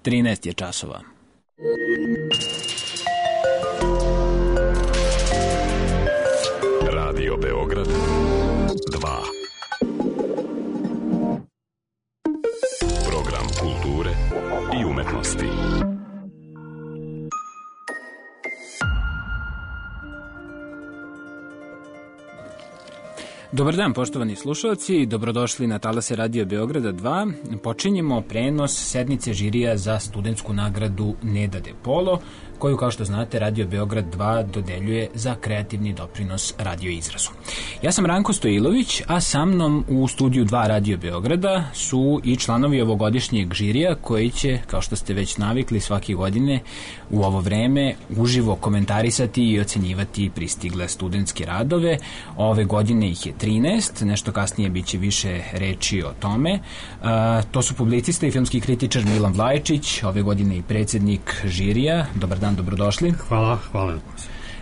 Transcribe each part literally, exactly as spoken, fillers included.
trinaest je časova. Radio Beograd dva. Program kulture i umetnosti. Dobar dan, poštovani slušalci, dobrodošli na talase Radio Beograda dva. Počinjemo prenos sednice žirija za studentsku nagradu Neda de Polo, koju, kao što znate, Radio Beograd dva dodeljuje za kreativni doprinos radio izrazu. Ja sam Ranko Stojilović, a sa mnom u studiju dva Radio Beograda su i članovi ovogodišnjeg žirija koji će, kao što ste već navikli, svake godine u ovo vreme uživo komentarisati i ocenjivati pristigle studentske radove. Ove godine ih je trinaest, nešto kasnije biće više reči o tome. A, to su publicista i filmski kritičar Milan Vlajčić, ove godine i predsjednik žirija. Dobar dan, dobrodošli. Hvala, hvala.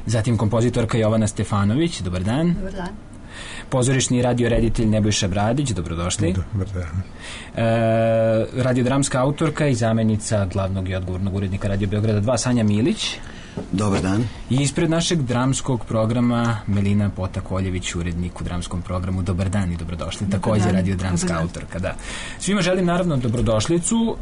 Zatim kompozitorka Jovana Stefanović, dobar dan. Dobar dan. Pozorišni radioreditelj Nebojša Bradić, dobrodošli. Dobar dan. E, radiodramska autorka i zamjenica glavnog i odgovornog urednika Radio Beograda dva Sanja Milić. Dobar dan. I ispred našeg dramskog programa Melina Potakoljević, urednik u dramskom programu. Dobar dan i dobrodošli. Također radiodramska autorka, da. Svima želim naravno dobrodošlicu uh,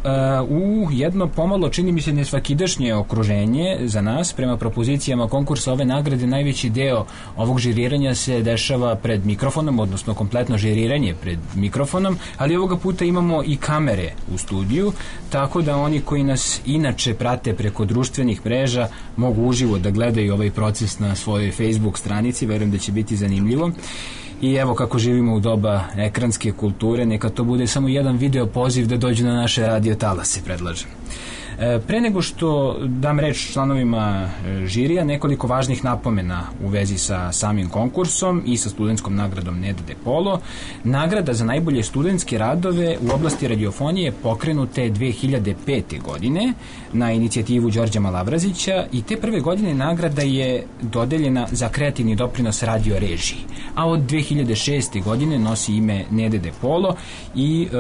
u jedno pomalo, čini mi se, nesvakidašnje okruženje za nas. Prema propozicijama konkursa ove nagrade najveći deo ovog žiriranja se dešava pred mikrofonom, odnosno kompletno žiriranje pred mikrofonom, ali ovoga puta imamo i kamere u studiju, tako da oni koji nas inače prate preko društvenih mreža mogu uživo da gledaju ovaj proces na svojoj Facebook stranici. Verujem da će biti zanimljivo. I evo, kako živimo u doba ekranske kulture, neka to bude samo jedan video poziv da dođu na naše radio talase, predlažem. Pre nego što dam reč članovima žirija, nekoliko važnih napomena u vezi sa samim konkursom i sa studentskom nagradom Neda de Polo. Nagrada za najbolje studentske radove u oblasti radiofonije pokrenute dve hiljade pete. godine na inicijativu Đorđa Malavrazića i te prve godine nagrada je dodeljena za kreativni doprinos radio režiji, a od dve hiljade šeste. godine nosi ime Neda de Polo i e,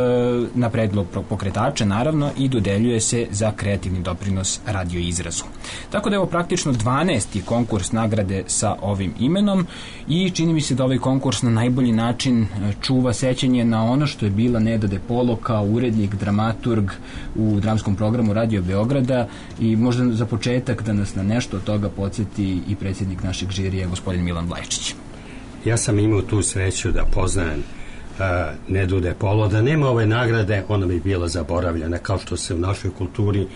na predlog pokretača naravno i dodeljuje se za kreativni doprinos radio izrazu. Tako da je ovo praktično dvanaesti konkurs nagrade sa ovim imenom i čini mi se da ovaj konkurs na najbolji način čuva sećanje na ono što je bila Neda de Polo kao urednik, dramaturg u dramskom programu Radio Beograda i možda za početak da nas na nešto od toga podsjeti i predsjednik našeg žirija, gospodin Milan Vlajčić. Ja sam imao tu sreću da poznajem uh, Nedu de Polo. Da nema ove nagrade, ona bi bila zaboravljena, kao što se u našoj kulturi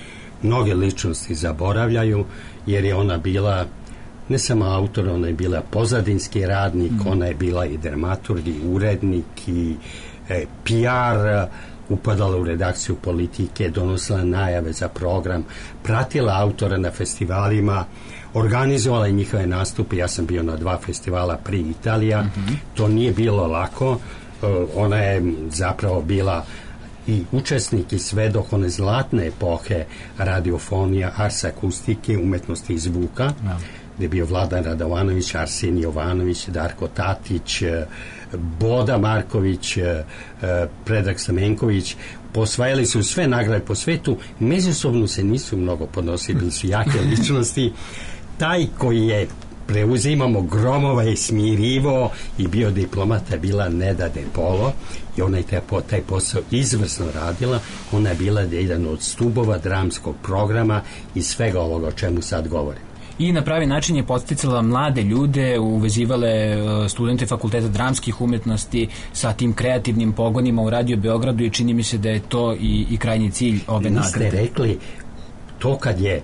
mnoge ličnosti zaboravljaju, jer je ona bila ne samo autor, ona je bila pozadinski radnik, mm. ona je bila i dramaturg, i urednik, i e, P R, upadala u redakciju Politike, donosila najave za program, pratila autora na festivalima, organizovala i njihove nastupe. Ja sam bio na dva festivala pri Italija. Mm-hmm. To nije bilo lako. Uh, ona je zapravo bila i učesnik i svedok one zlatne epohe radiofonija, ars akustike, umetnosti i zvuka, no. gdje je bio Vladan Radovanović, Arsenij Jovanović, Darko Tatić, Boda Marković, Predrag Stamenković. Posvajali su sve nagrade po svetu, međusobno se nisu mnogo podnosili, bili su jake ličnosti. Taj koji je preuzimamo Gromova i smirivo i bio diplomata bila Neda de Polo i ona je taj, taj posao izvrsno radila. Ona je bila jedan od stubova dramskog programa i svega ovoga o čemu sad govorim. I na pravi način je podsticala mlade ljude, uvezivale studente fakulteta dramskih umetnosti sa tim kreativnim pogonima u Radio Beogradu i čini mi se da je to i, i krajnji cilj ove nagrade. Niste rekli to kad je,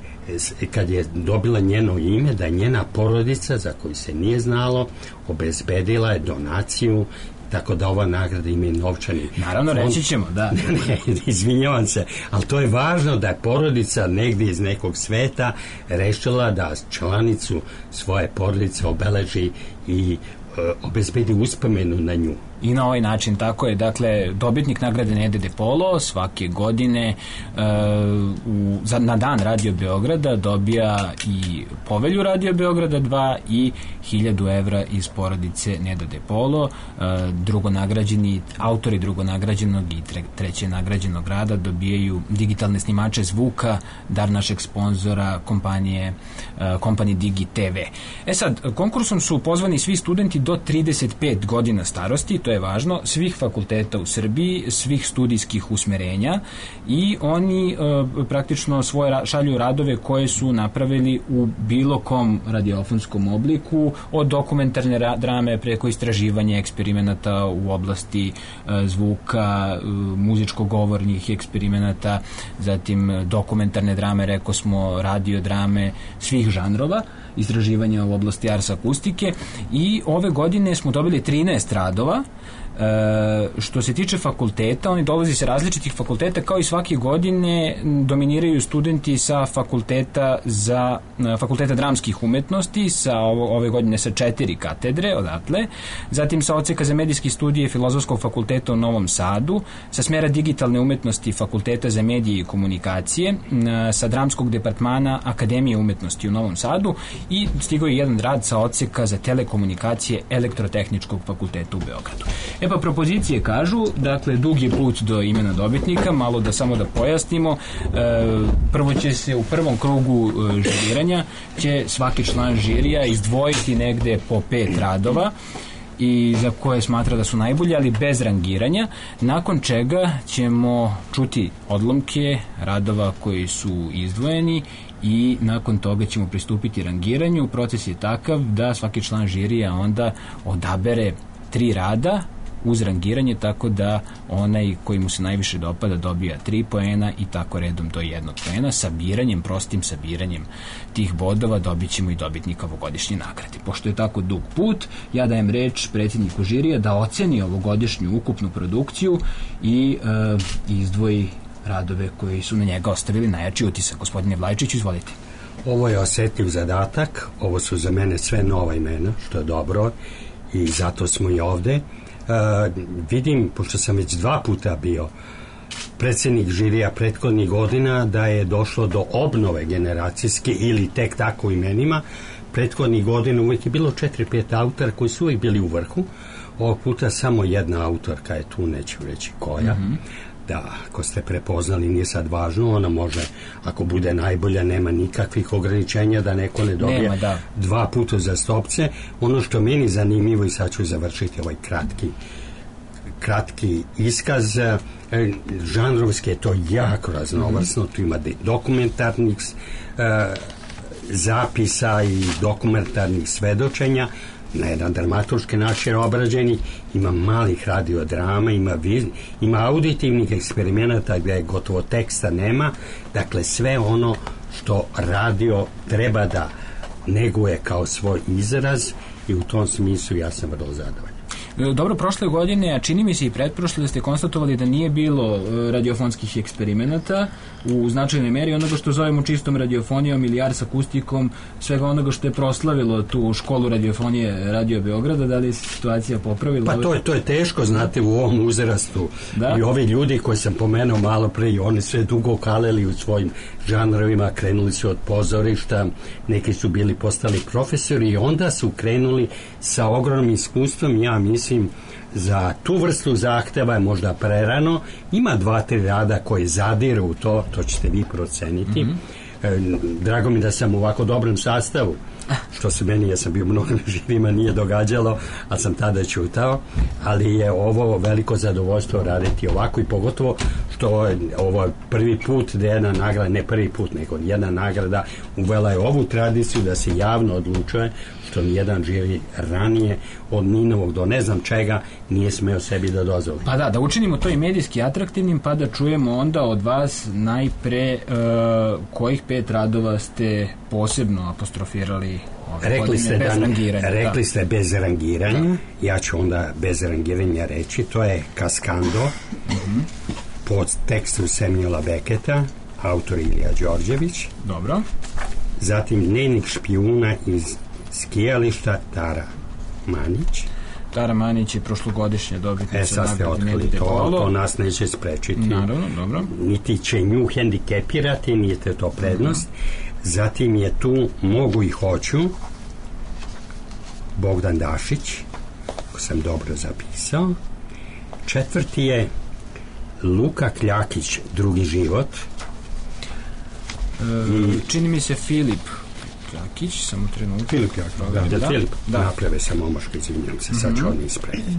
kad je dobila njeno ime, da je njena porodica, za koju se nije znalo, obezbedila je donaciju, tako da ova nagrada ima i novčani. Naravno, fond. Reći ćemo, da. Ne, izvinjavam se, ali to je važno da je porodica negdje iz nekog sveta rešila da članicu svoje porodice obeleži i uh, obezbedi uspomenu na nju. I na ovaj način, tako je, dakle, dobitnik nagrade Nede de Polo svake godine uh, u, za, na dan Radio Beograda dobija i povelju Radio Beograda dva i hiljadu evra iz porodice Neda de Polo. Uh, drugo nagrađeni, autori drugo nagrađenog i tre, treće nagrađenog rada dobijaju digitalne snimače zvuka, dar našeg sponzora kompanije uh, kompanije Digi te ve. E sad, konkursom su pozvani svi studenti do trideset pet godina starosti, to je važno, svih fakulteta u Srbiji, svih studijskih usmerenja i oni e, praktično svoje ra- šalju radove koje su napravili u bilo kom radiofonskom obliku, od dokumentarne ra- drame preko istraživanja eksperimenata u oblasti e, zvuka, e, muzičko-govornih eksperimenata, zatim dokumentarne drame, rekao smo, radiodrame svih žanrova, istraživanja u oblasti ars akustike i ove godine smo dobili trinaest radova. E, što se tiče fakulteta, oni dolazi sa različitih fakulteta, kao i svake godine dominiraju studenti sa fakulteta za fakulteta dramskih umetnosti, sa ovo, ove godine sa četiri katedre odatle, zatim sa odseka za medijske studije Filozofskog fakulteta u Novom Sadu, sa smera digitalne umetnosti Fakulteta za medije i komunikacije, sa dramskog departmana Akademije umetnosti u Novom Sadu i stigao je jedan rad sa odseka za telekomunikacije Elektrotehničkog fakulteta u Beogradu. E pa propozicije kažu, dakle, dug je put do imena dobitnika, malo da samo da pojasnimo. E, prvo će se u prvom krugu e, žiriranja će svaki član žirija izdvojiti negde po pet radova i za koje smatra da su najbolje, ali bez rangiranja, nakon čega ćemo čuti odlomke radova koji su izdvojeni i nakon toga ćemo pristupiti rangiranju. Proces je takav da svaki član žirija onda odabere tri rada uz rangiranje, tako da onaj koji mu se najviše dopada dobija tri poena i tako redom do jednog poena. Sabiranjem, prostim sabiranjem tih bodova dobit ćemo i dobitnika ovogodišnje nagrade. Pošto je tako dug put, ja dajem reč predsjedniku žirija da oceni ovogodišnju ukupnu produkciju i e, izdvoji radove koji su na njega ostavili najjači utisak. Gospodine Vlajčiću, izvolite. Ovo je osetljiv zadatak, ovo su za mene sve nova imena, što je dobro i zato smo i ovde. Uh, vidim, pošto sam već dva puta bio predsjednik žirija prethodnih godina, da je došlo do obnove generacijske ili tek tako imenima. Prethodnih godina uvijek je bilo četiri pet autora koji su uvijek bili u vrhu. Ovog puta samo jedna autorka je tu, neću reći koja. Mm-hmm. Da, ako ste prepoznali, nije sad važno, ona može, ako bude najbolja, nema nikakvih ograničenja da neko ne dobije nema, da. dva puta za stopce. Ono što meni zanimljivo, i sad ću završiti ovaj kratki kratki iskaz, e, žanrovski je to jako raznovrsno, mm-hmm. tu ima dokumentarnih e, zapisa i dokumentarnih svedočenja, na jedan dramaturški način obrađeni, ima malih radiodrama, ima, viz, ima auditivnih eksperimenata gdje gotovo teksta nema, dakle sve ono što radio treba da neguje kao svoj izraz i u tom smislu ja sam vrlo zadovoljan. Dobro, prošle godine, a čini mi se i pretprošle, da ste konstatovali da nije bilo radiofonskih eksperimenata u značajnoj meri onoga što zovemo čistom radiofonijom ili ars akustikom, svega onoga što je proslavilo tu školu radiofonije Radio Beograda. Da li je situacija popravila? Pa to je, to je teško, znate, u ovom uzrastu. Da? I ovi ljudi koji sam pomenuo malo pre, i oni sve dugo kaleli u svojim žanrovima, krenuli su od pozorišta, neki su bili postali profesori i onda su krenuli sa ogromnim iskustvom. Ja mislim, za tu vrstu zahteva je možda prerano. Ima dva, tri rada koje zadiru u to, to ćete vi proceniti. Mm-hmm. E, drago mi da sam u ovako dobrom sastavu, što se meni, ja sam bio mnogo živima, nije događalo, a sam tada čutao, ali je ovo veliko zadovoljstvo raditi ovako i pogotovo što je ovo prvi put da jedna nagrada, ne prvi put, nego jedna nagrada uvela je ovu tradiciju da se javno odlučuje, što nijedan žiri ranije od Ninovog do ne znam čega nije smeo sebi da dozvoli. Pa da, da učinimo to i medijski atraktivnim, pa da čujemo onda od vas najpre uh, kojih pet radova ste posebno apostrofirali ove rekli godine ste bez da, rangiranja. Rekli da. ste bez rangiranja, da. Ja ću onda bez rangiranja reći, to je Kaskando, mm-hmm. pod tekstu Samuela Becketa, autor Ilija Đorđević. Dobro. Zatim Dnevnik špijuna iz skijališta, Tara Manić. Tara Manić je prošlogodišnja dobitnica. E, sad ste otkrili to, to nas neće sprečiti. Naravno, dobro. Niti će nju hendikepirati, niti je to prednost. Mm-hmm. Zatim je tu Mogu i hoću, Bogdan Dašić, ako sam dobro zapisao. Četvrti je Luka Kljakić, Drugi život. E, I, čini mi se Filip Kljakić, samo trenutno. Filip Kljakić, da, da, Filip, da. Naprave sam omaško, izvinjam se, sad ću on ispraviti.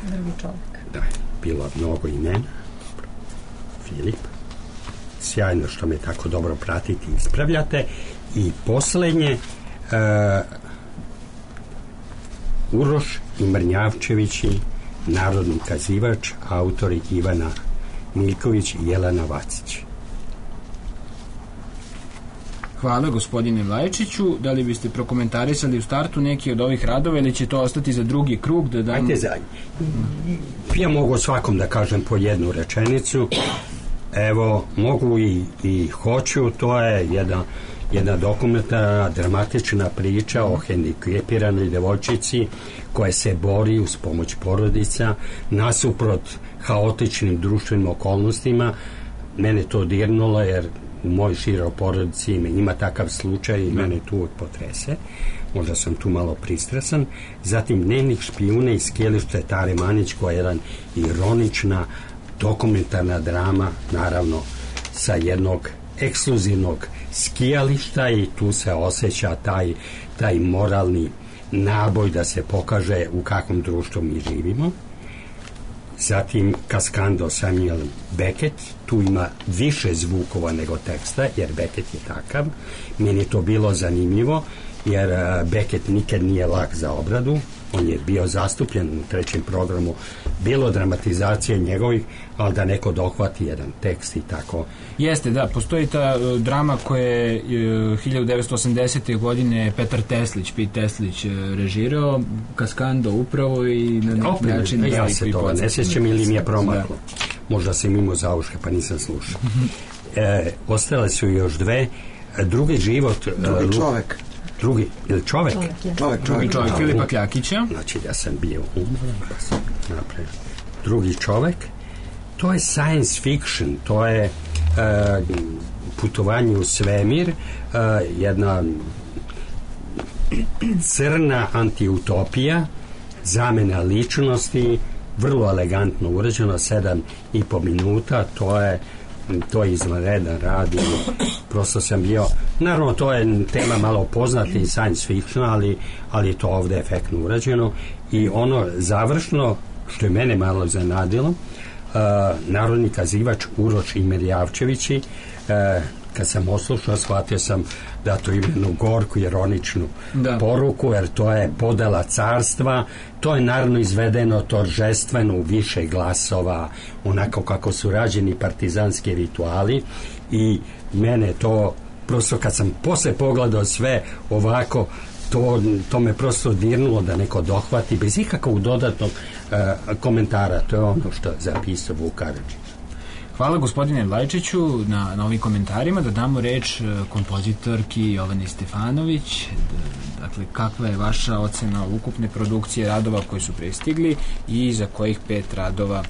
Drugi čovjek. Da, bilo mnogo imena. Filip. Sjajno što me tako dobro pratite i ispravljate. I poslednje, uh, Uroš i Mrnjavčevići, narodni kazivač, autori Ivana Miljković i Jelena Vacić. Hvala gospodine Vlajčiću. Da li biste prokomentarisali u startu neki od ovih radova ili će to ostati za drugi krug? Da dam... Ajde zadnji. Ja mogu svakom da kažem po jednu rečenicu. Evo, mogu i, i hoću, to je jedna, jedna dokumentarna, dramatična priča o hendikepiranoj devojčici koja se bori uz pomoć porodica nasuprot haotičnim društvenim okolnostima. Mene to dirnulo jer u mojoj široj porodici ima takav slučaj i mene tu uvijek potrese. Možda sam tu malo pristrasan. Zatim Dnevnik špijune iz skijališta Tare Manić, koja je jedan ironična dokumentarna drama, naravno sa jednog ekskluzivnog skijališta, i tu se osjeća taj, taj moralni naboj da se pokaže u kakvom društvu mi živimo. Zatim Kaskando Samuel Beckett, tu ima više zvukova nego teksta, jer Beckett je takav. Meni je to bilo zanimljivo, jer Beckett nikad nije lak za obradu, on je bio zastupljen u trećem programu, bilo dramatizacije njegovih, ali da neko dohvati jedan tekst i tako. Jeste, da, postoji ta uh, drama koja je uh, hiljadu devetsto osamdesete. godine Petar Teslić, Pete Teslić uh, režirao, Kaskando upravo, i na neki način... Ja se toga ne sjećam ili mi je promaklo. Možda sam imao zauške pa nisam slušao. e, ostale su još dve. Drugi život... Drugi uh, čovek. Drugi, ili čovek? Čovek, je. Čovek, Drugi čovek. čovjek, Filipa Kljakića. Znači da sam bio umoran, pa sam napravio. Drugi čovek, to je science fiction, to je uh, putovanje u svemir, uh, jedna crna antiutopija, zamena ličnosti, vrlo elegantno urađeno, sedam i po minuta, to je to je izvanredan rad i prosto sam bio, naravno to je tema malo poznati i science fiction, ali, ali je to ovde efektno urađeno. I ono završno što je mene malo zanadilo, uh, narodni kazivač Uroš i Mrnjavčevići, uh, kad sam oslušao, shvatio sam da to ima jednu gorku ironičnu da. poruku, jer to je podela carstva, to je naravno izvedeno toržestveno u više glasova, onako kako su rađeni partizanski rituali, i mene to prosto kad sam posle pogledao sve ovako, to, to me prosto dirnulo da neko dohvati bez ikakvog dodatnog uh, komentara. To je ono što je zapisao Vuk Karadžić. Hvala gospodine Vlajčiću na, na ovim komentarima. Da damo reč kompozitorki Jovani Stefanović. Dakle, kakva je vaša ocena ukupne produkcije radova koji su prestigli i za kojih pet radova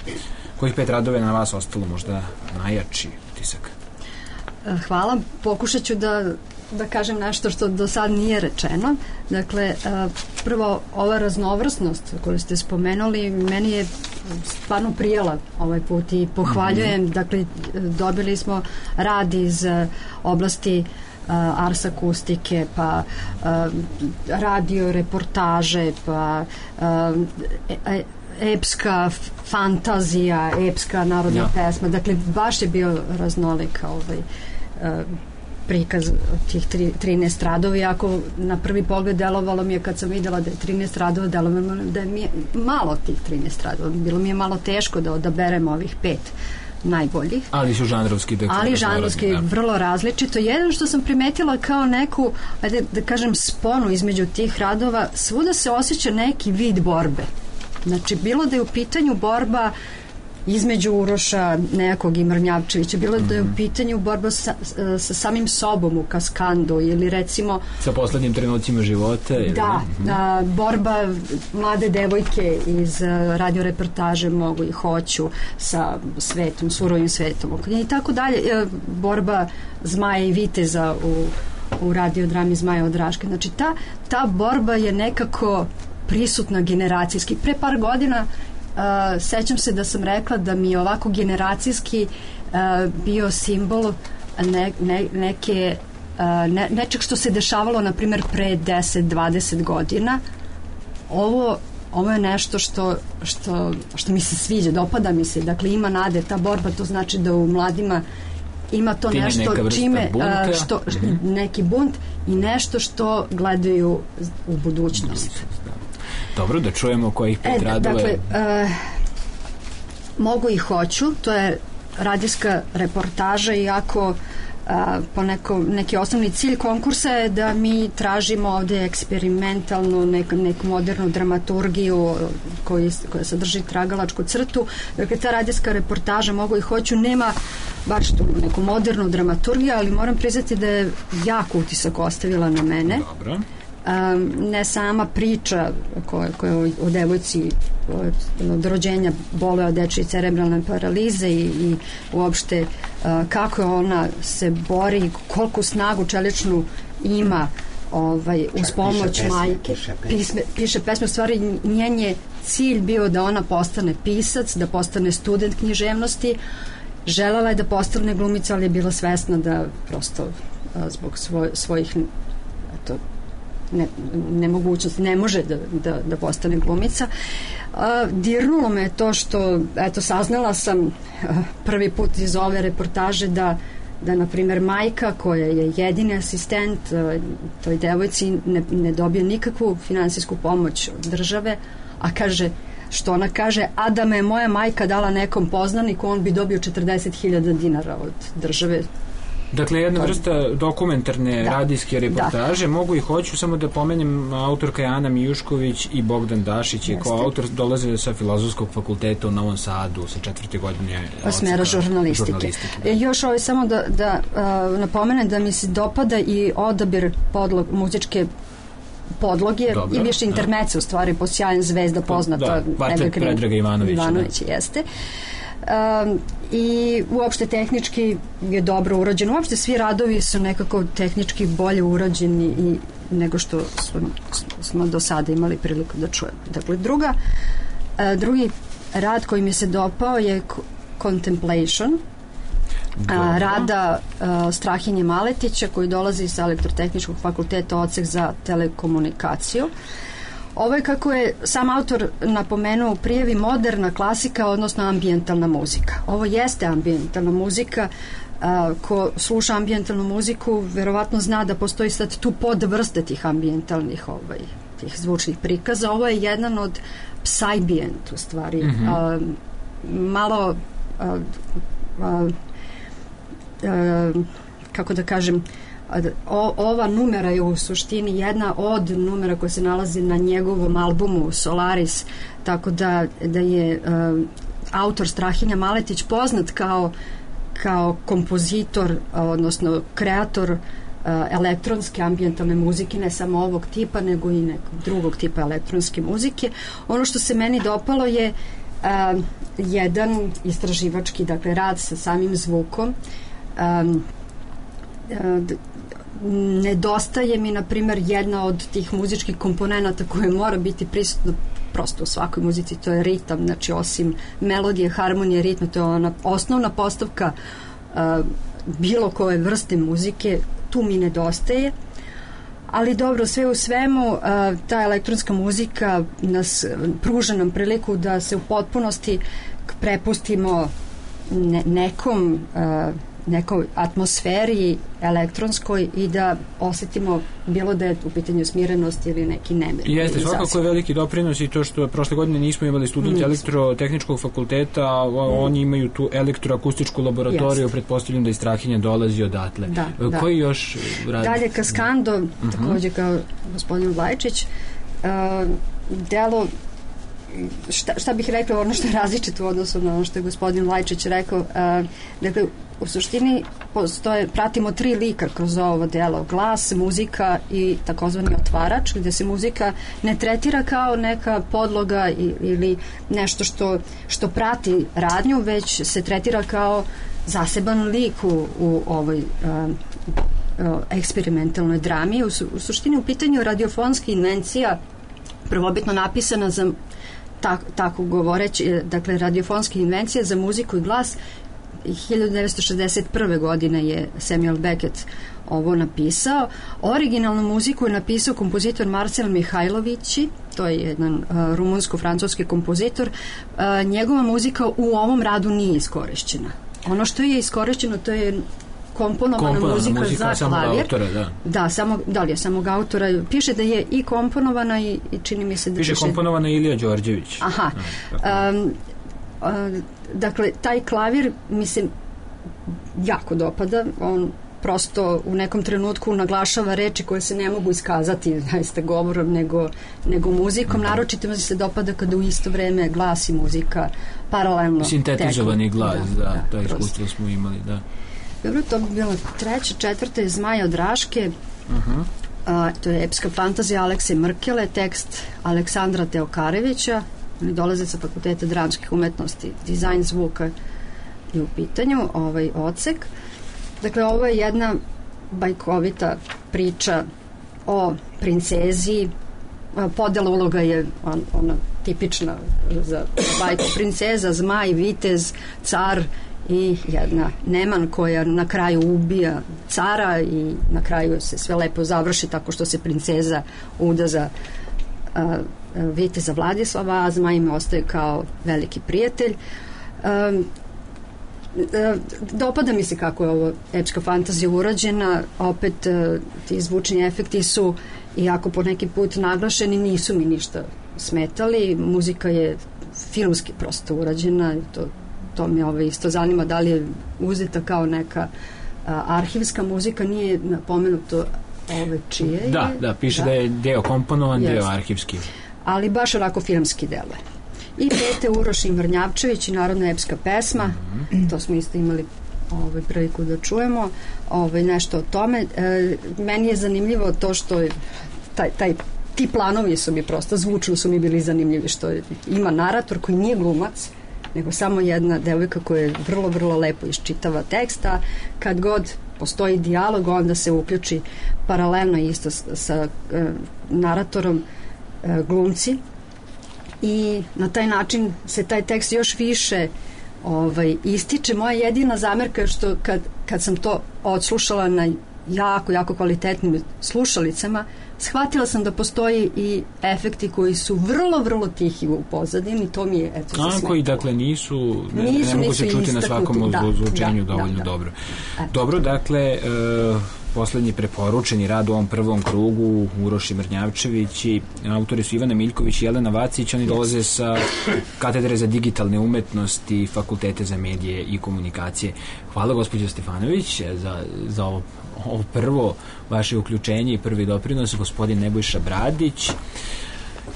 kojih pet radova je na vas ostalo možda najjači utisak? Hvala. Pokušat ću da da kažem nešto što do sad nije rečeno. Dakle, prvo, ova raznovrsnost koju ste spomenuli, meni je stvarno prijela ovaj put i pohvaljujem. Mm-hmm. Dakle, dobili smo rad iz oblasti ars akustike, pa radio reportaže, pa epska fantazija, epska narodna ja. pesma. Dakle, baš je bio raznolik ovaj prikaz tih tri, trinaest radova, i ako na prvi pogled delovalo mi je, kad sam videla da je trinaest radova, delovalo da je mi je malo tih trinaest radova. Bilo mi je malo teško da odaberemo ovih pet najboljih. Ali su žanrovski. Da Ali žanrovski, da. vrlo različito. Jedan što sam primetila kao neku, ajde da kažem, sponu između tih radova, svuda se osjeća neki vid borbe. Znači, bilo da je u pitanju borba između Uroša nekog i Mrnjavčevića, bilo mm-hmm. da je u pitanju borba sa, sa samim sobom u Kaskandu ili recimo sa poslednjim trenucima života ili da, a, borba mlade devojke iz radio reportaže Mogu i hoću sa svetom, surovim svetom i tako dalje, borba Zmaja i Viteza u, u radiodrami Zmaja od Raške. Znači ta, ta borba je nekako prisutna generacijski. Pre par godina Uh, sećam se da sam rekla da mi je ovako generacijski uh, bio simbol ne, ne, neke uh, ne, nečeg što se dešavalo na primjer pre deset dvadeset godina. Ovo, ovo je nešto što, što, što mi se sviđa, dopada mi se, dakle ima nade, ta borba, to znači da u mladima ima to time nešto čime bunta. Što, mm-hmm. neki bunt i nešto što gledaju u budućnost. Dobro, da čujemo kojih pet e, radova. Dakle, uh, Mogu i hoću, to je radijska reportaža, iako uh, po neko, neki osnovni cilj konkursa je da mi tražimo ovde eksperimentalnu, neku, neku modernu dramaturgiju koji, koja sadrži tragalačku crtu. Dakle, ta radijska reportaža Mogu i hoću nema baš tu neku modernu dramaturgiju, ali moram priznati da je jako utisak ostavila na mene. Dobro. Um, ne sama priča koja, koja o devojci od, od rođenja boluje od dečije cerebralne paralize i, i uopšte uh, kako ona se bori, koliko snagu čeličnu ima ovaj, uz pomoć piše majke. Piše Pisme, piše pesme. U stvari njen je cilj bio da ona postane pisac, da postane student književnosti. Želela je da postane glumica, ali je bila svesna da prosto uh, zbog svoj, svojih eto, Ne, nemogućnost, ne može da, da, da postane glumica. A, dirnulo me to što, eto, saznala sam a, prvi put iz ove reportaže da, da na primjer, majka koja je jedini asistent a, toj devojci ne, ne dobije nikakvu finansijsku pomoć od države, a kaže, što ona kaže, a da me je moja majka dala nekom poznaniku, on bi dobio četrdeset hiljada dinara od države. Dakle, jedna vrsta dokumentarne da. radijske reportaže. Da. Mogu i hoću, samo da pomenem, autorka je Ana Mijušković i Bogdan Dašić je kao autor, dolaze sa Filozofskog fakulteta u Novom Sadu sa četvrte godine smera žurnalistike. žurnalistike da. E, još ovaj samo da, da uh, napomenem da mi se dopada i odabir podlog, muzičke podloge. Dobro, i više intermece, u stvari, po Sjajan zvezda poznata. Da, kvartet Predraga Ivanovića. Ivanovića, da. Jeste. Um, i uopšte tehnički je dobro urađeno. Uopšte svi radovi su nekako tehnički bolje urađeni i nego što smo, smo do sada imali priliku da čujemo. Dakle, druga, uh, drugi rad koji mi se dopao je Contemplation, a, rada a, Strahinje Maletića, koji dolazi sa Elektrotehničkog fakulteta, odsek za telekomunikaciju. Ovo je, kako je sam autor napomenuo u prijavi, moderna klasika, odnosno ambijentalna muzika. Ovo jeste ambijentalna muzika. A, ko sluša ambijentalnu muziku verovatno zna da postoji sad tu podvrste tih ambijentalnih ovaj, tih zvučnih prikaza. Ovo je jedan od psybient, u stvari. Mm-hmm. a, malo a, a, a, kako da kažem, O, ova numera je u suštini jedna od numera koja se nalazi na njegovom albumu Solaris, tako da, da je uh, autor Strahinja Maletić poznat kao, kao kompozitor, odnosno kreator uh, elektronske ambijentalne muzike, ne samo ovog tipa, nego i nekog drugog tipa elektronske muzike. Ono što se meni dopalo je uh, jedan istraživački, dakle, rad sa samim zvukom. Um, uh, nedostaje mi, na primjer, jedna od tih muzičkih komponenata koje mora biti prisutno prosto u svakoj muzici, to je ritam. Znači, osim melodije, harmonije, ritma, to je ona osnovna postavka uh, bilo koje vrste muzike, tu mi nedostaje. Ali dobro, sve u svemu, uh, ta elektronska muzika nas pruža nam priliku da se u potpunosti prepustimo ne, nekom uh, nekoj atmosferi elektronskoj i da osetimo bilo da je u pitanju smirenost ili neki nemir. Jeste, svakako je veliki doprinos i to što prošle godine nismo imali student nismo. Elektrotehničkog fakulteta, a mm. oni imaju tu elektroakustičku laboratoriju, Jeste. Pretpostavljam da iz Strahinja dolazi odatle. Da, Koji da. još radi? Dalje Kaskando, uh-huh. takođe kao gospodin Vlajčić, uh, delo šta, šta bih rekla, ono što je različito u odnosu na ono što je gospodin Lajčić rekao, uh, dakle, u suštini postoje, pratimo tri lika kroz ovo delo, glas, muzika i takozvani otvarač, gde se muzika ne tretira kao neka podloga ili nešto što, što prati radnju, već se tretira kao zaseban lik u, u ovoj uh, uh, eksperimentalnoj drami. U, su, u suštini u pitanju radiofonska invencija prvobitno napisana za tak, tako govoreći, dakle radiofonska invencija za muziku i glas. hiljadu devetsto šezdeset prve godine je Samuel Beckett ovo napisao. Originalnu muziku je napisao kompozitor Marcel Mihajlovići, to je jedan uh, rumunsko-francuski kompozitor. Uh, njegova muzika u ovom radu nije iskorišćena. Ono što je iskorišćeno, to je komponovana, komponovana muzika, muzika za klavir. Autora, da. Da, samo, da li je samog autora. Piše da je i komponovana i, i čini mi se da piše... Piše komponovana Ilija Đorđević. Aha. Um, uh, dakle, taj klavir mi se jako dopada. On prosto u nekom trenutku naglašava reči koje se ne mogu iskazati zaista govorom nego, nego muzikom. Mm-hmm. Naročito mi se dopada kada u isto vreme glas i muzika paralelno sintetizovani teku. Glas, da, da, da iskustvo smo imali, da. Dobro, to bi bilo treća, četvrta je Zmaja od Raške. Uh-huh. A, to je epska fantazija Alekse Mrkele, tekst Aleksandra Teokarevića. Oni dolaze sa Fakulteta dramskih umetnosti, dizajn zvuka je u pitanju, ovaj odsek. Dakle, ovo je jedna bajkovita priča o princezi. Podela uloga je on, ona tipična za bajku. Princeza, zmaj, vitez, car i jedna Neman koja na kraju ubija cara i na kraju se sve lepo završi tako što se princeza uda za uh, viteza Vladislava, a zmaj im ostaje kao veliki prijatelj. Um, dopada mi se kako je ovo epska fantazija urađena, opet ti zvučni efekti su, iako po neki put naglašeni, nisu mi ništa smetali, muzika je filmski prosto urađena, to, to me ovaj isto zanima da li je uzeta kao neka a, arhivska muzika, nije napomenuto ove čije je. Da, da, piše da, da je deo komponovan, jest, deo arhivski. Ali baš onako filmski delo. I pete Uroš Vrnjavčević i narodna epska pesma, mm-hmm. to smo isto imali ovaj, priliku da čujemo ovaj, nešto o tome. E, meni je zanimljivo to što je taj, taj, ti planovi su mi prosto, zvučno su mi bili zanimljivi, što je, ima narator koji nije glumac, nego samo jedna devojka koja je vrlo, vrlo lepo iščitava teksta. Kad god postoji dijalog, onda se uključi paralelno isto sa, sa e, naratorom e, glumci, i na taj način se taj tekst još više ovaj, ističe. Moja jedina zamerka je što kad, kad sam to odslušala na jako, jako kvalitetnim slušalicama, shvatila sam da postoji i efekti koji su vrlo, vrlo tihi u pozadini, to mi je, eto, zasmetilo. A koji, dakle, nisu, ne, nisu ne mogu se čuti na svakom ozvučenju da, dovoljno da, da. dobro. Eto. Dobro, dakle, e, poslednji preporučeni rad u ovom prvom krugu, Uroš Mrnjavčević, i autori su Ivana Miljković i Jelena Vacić, oni dolaze sa katedre za digitalne umetnosti, fakultete za medije i komunikacije. Hvala gospođo Stefanović za, za ovo, ovo prvo vaše uključenje i prvi doprinos. Gospodin Nebojša Bradić,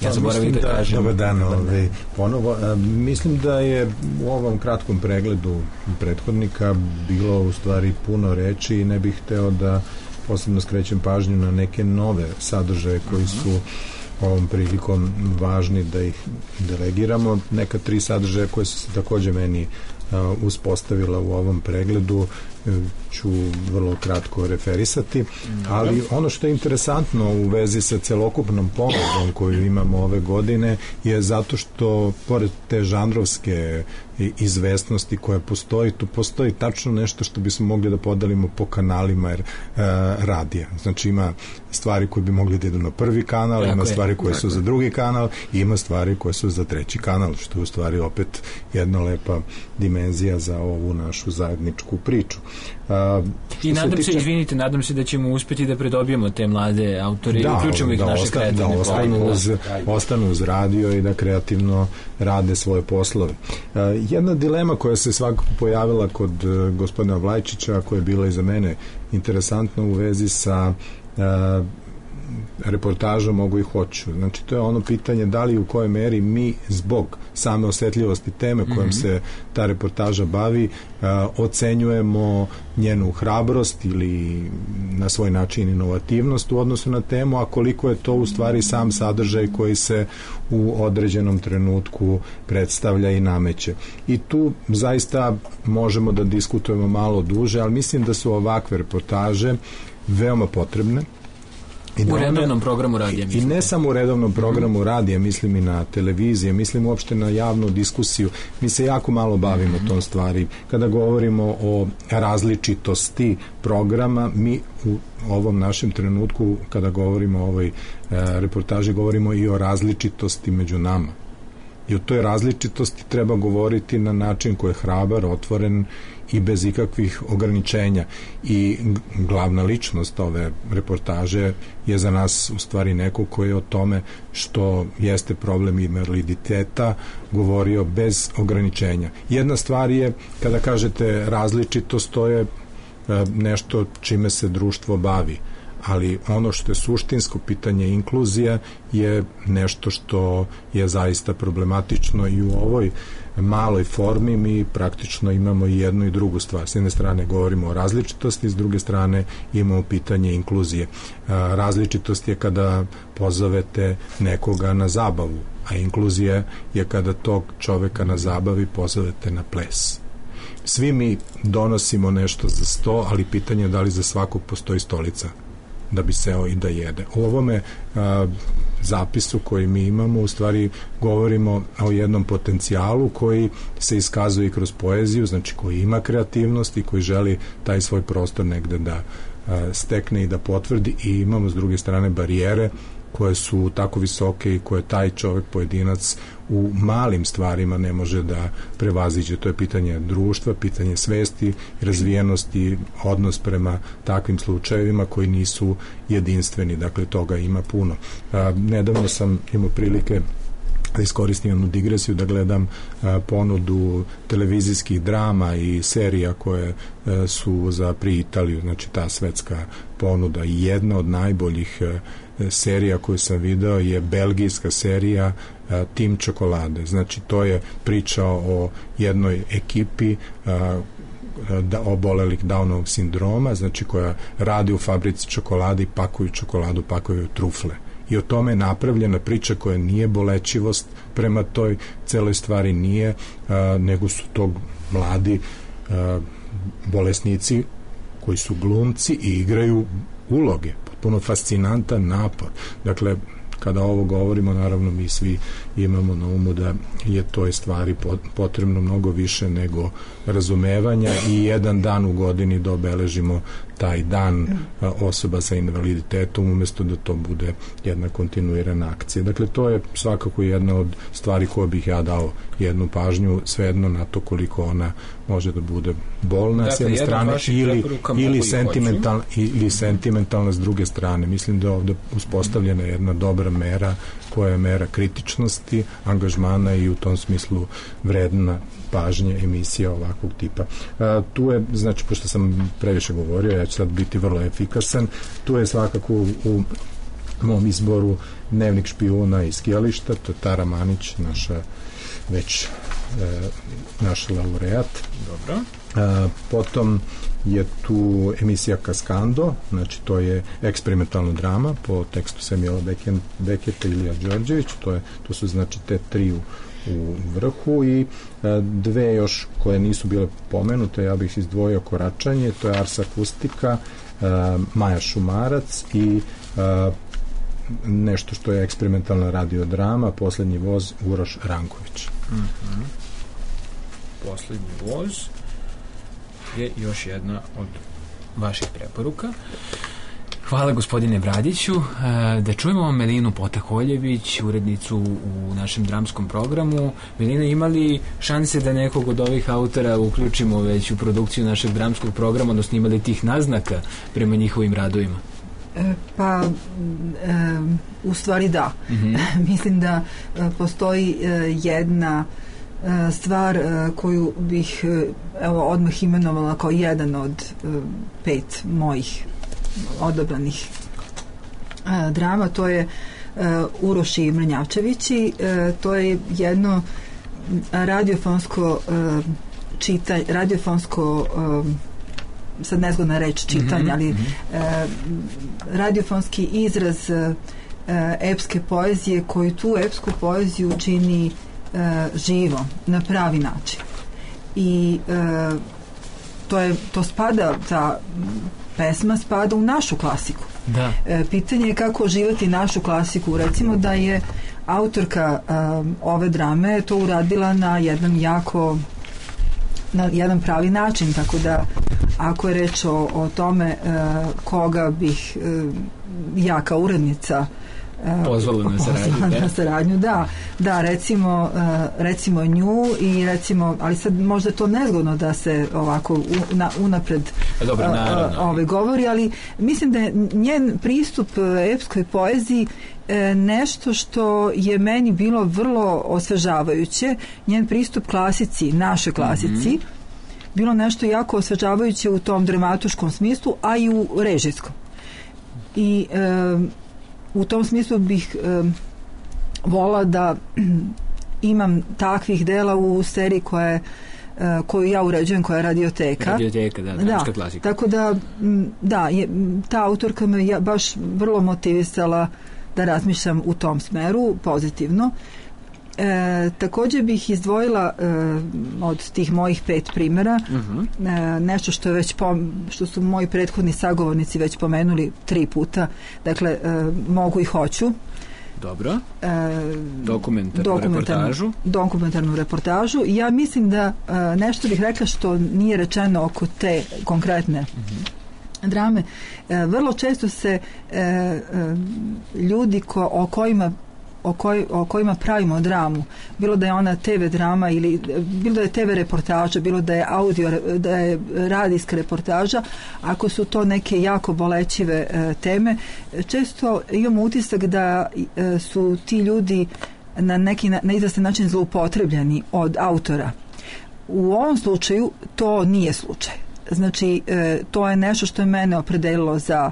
ja zaboravim da, da kažem. Dobar dan, ovaj, ponovo. A, mislim da je u ovom kratkom pregledu prethodnika bilo u stvari puno reči i ne bih hteo da posebno skrećem pažnju na neke nove sadržaje koji su ovom prilikom važni da ih delegiramo. Neka tri sadržaja koje su se takođe meni a, uspostavila u ovom pregledu ću vrlo kratko referisati, ali ono što je interesantno u vezi sa celokupnom ponudom koju imamo ove godine je zato što pored te žanrovske izvesnosti koja postoji, tu postoji tačno nešto što bismo mogli da podelimo po kanalima jer, uh, radija. Znači ima stvari koje bi mogli da idu na prvi kanal, tako ima je, stvari koje su je. za drugi kanal i ima stvari koje su za treći kanal, što je u stvari opet jedna lepa dimenzija za ovu našu zajedničku priču. Uh, I nadam se, tiče... izvinite, nadam se da ćemo uspeti da pridobijemo te mlade autore da, i uključimo ih da naše osta, kreativne da ostanu uz, ostanu uz radio i da kreativno rade svoje poslove. Uh, jedna dilema koja se svakako pojavila kod uh, gospodina Vlajčića, koja je bila i za mene interesantna u vezi sa uh, reportaža mogu i hoću. Znači, to je ono pitanje da li u kojoj meri mi zbog same osetljivosti teme kojom mm-hmm. se ta reportaža bavi a, ocenjujemo njenu hrabrost ili na svoj način inovativnost u odnosu na temu, a koliko je to u stvari sam sadržaj koji se u određenom trenutku predstavlja i nameće. I tu zaista možemo da diskutujemo malo duže, ali mislim da su ovakve reportaže veoma potrebne. I u redovnom programu radija, mislim. I ne samo u redovnom programu radija, mislim i na televiziji, mislim uopšte na javnu diskusiju. Mi se jako malo bavimo mm-hmm. tom stvari. Kada govorimo o različitosti programa, mi u ovom našem trenutku, kada govorimo o ovoj e, reportaži, govorimo i o različitosti među nama. I o toj različitosti treba govoriti na način koji je hrabar, otvoren i bez ikakvih ograničenja. I glavna ličnost ove reportaže je za nas u stvari neko koji je o tome što jeste problem invaliditeta govorio bez ograničenja. Jedna stvar je, kada kažete različitost, to je nešto čime se društvo bavi, ali ono što je suštinsko pitanje inkluzija je nešto što je zaista problematično i u ovoj maloj formi mi praktično imamo i jednu i drugu stvar. S jedne strane govorimo o različitosti, s druge strane imamo pitanje inkluzije. Različitost je kada pozovete nekoga na zabavu, a inkluzija je kada tog čoveka na zabavi pozovete na ples. Svi mi donosimo nešto za sto, ali pitanje je da li za svakog postoji stolica da bi seo i da jede. U ovome a, zapisu koji mi imamo u stvari govorimo o jednom potencijalu koji se iskazuje i kroz poeziju, znači koji ima kreativnost i koji želi taj svoj prostor negde da a, stekne i da potvrdi, i imamo s druge strane barijere koje su tako visoke i koje taj čovek, pojedinac, u malim stvarima ne može da prevaziđe. To je pitanje društva, pitanje svesti, razvijenosti, odnos prema takvim slučajevima koji nisu jedinstveni. Dakle, toga ima puno. A, nedavno sam imao prilike da iskoristim jednu digresiju, da gledam a, ponudu televizijskih drama i serija koje a, su za pri Italiju, znači ta svetska ponuda. I jedna od najboljih a, serija koju sam video je belgijska serija a, Tim čokolade. Znači, to je priča o jednoj ekipi a, da, obolelih Downovog sindroma, znači koja radi u fabrici čokolade, pakuju čokoladu, pakuju trufle. I o tome je napravljena priča koja nije bolećivost prema toj celoj stvari, nije, a, nego su to mladi a, bolesnici koji su glumci i igraju uloge. Potpuno fascinantan napor. Dakle, kada ovo govorimo, naravno mi svi imamo na umu da je toj stvari potrebno mnogo više nego razumevanja i jedan dan u godini da obeležimo taj dan osoba sa invaliditetom umesto da to bude jedna kontinuirana akcija. Dakle, to je svakako jedna od stvari koje bih ja dao jednu pažnju, svejedno na to koliko ona može da bude bolna dakle, s jedne strane ili, ili, sentimental, ili sentimentalna s druge strane. Mislim da je ovde uspostavljena jedna dobra mera koja je mera kritičnosti, angažmana i u tom smislu vredna pažnje emisija ovakvog tipa. A, tu je, znači, pošto sam previše govorio, ja ću sad biti vrlo efikasan, tu je svakako u, u mom izboru Dnevnik špijuna iz skijališta, to je Tara Manić, naša već e, naš laureat. Dobro. A, potom je tu emisija Kaskando, znači to je eksperimentalna drama po tekstu Samuela Beketa i Ilija Đorđević, to, je, to su znači te tri u, u vrhu i a, dve još koje nisu bile pomenute, ja bih izdvojio Koračanje, to je Ars Akustika, a, Maja Šumarac i a, nešto što je eksperimentalna radiodrama, Poslednji voz, Uroš Ranković. Mm-hmm. Poslednji voz je još jedna od vaših preporuka. Hvala gospodine Bradiću. Da čujemo Melinu Potakoljević, urednicu u našem dramskom programu. Melina, ima li šanse da nekog od ovih autora uključimo već u produkciju našeg dramskog programa, odnosno ima li tih naznaka prema njihovim radovima? Pa, e, u stvari da. Mm-hmm. Mislim da e, postoji e, jedna e, stvar e, koju bih e, evo, odmah imenovala kao jedan od e, pet mojih odabranih drama, to je Uroš i Mrnjavčevići. To je jedno radiofonsko čitanje, radiofonsko sad nezgodna reč čitanje, mm-hmm, ali mm-hmm. radiofonski izraz epske poezije koji tu epsku poeziju čini živo, na pravi način. I to je, to spada, ta pesma spada u našu klasiku. Da. Pitanje je kako oživati našu klasiku. Recimo da je autorka um, ove drame to uradila na jedan jako na jedan pravi način, tako da ako je reč o, o tome uh, koga bih uh, ja kao urednica pozvala na saradnju, na saradnju, da, da, recimo, recimo nju i recimo, ali sad možda je to nezgodno da se ovako una, unapred Dobro, ove govori, ali mislim da je njen pristup epskoj poeziji nešto što je meni bilo vrlo osvežavajuće. Njen pristup klasici, naše klasici, mm-hmm. bilo nešto jako osvežavajuće u tom dramatuškom smislu, a i u režijskom. I e, u tom smislu bih e, volila da imam takvih dela u seriji koja je, e, koju ja uređujem, koja je Radioteka. Radioteka, da, dramska klasika. Tako da, da, je, ta autorka me ja, baš vrlo motivisala da razmišljam u tom smeru, pozitivno. E, također bih izdvojila e, od tih mojih pet primjera uh-huh. e, nešto što je već pom, što su moji prethodni sagovornici već pomenuli tri puta, dakle e, mogu i hoću. Dobro. E, dokumentarnu, dokumentarnu reportažu. Dokumentarnu reportažu. Ja mislim da e, nešto bih rekla što nije rečeno oko te konkretne uh-huh. drame. E, vrlo često se e, e, ljudi ko, o kojima O, koj, o kojima pravimo dramu, bilo da je ona te ve drama ili bilo da je te ve reportaža, bilo da je audio, da je radijska reportaža, ako su to neke jako bolećive e, teme, često imamo utisak da e, su ti ljudi na neki na, na izvestan način zloupotrebljeni od autora. U ovom slučaju to nije slučaj. Znači, e, to je nešto što je mene opredelilo za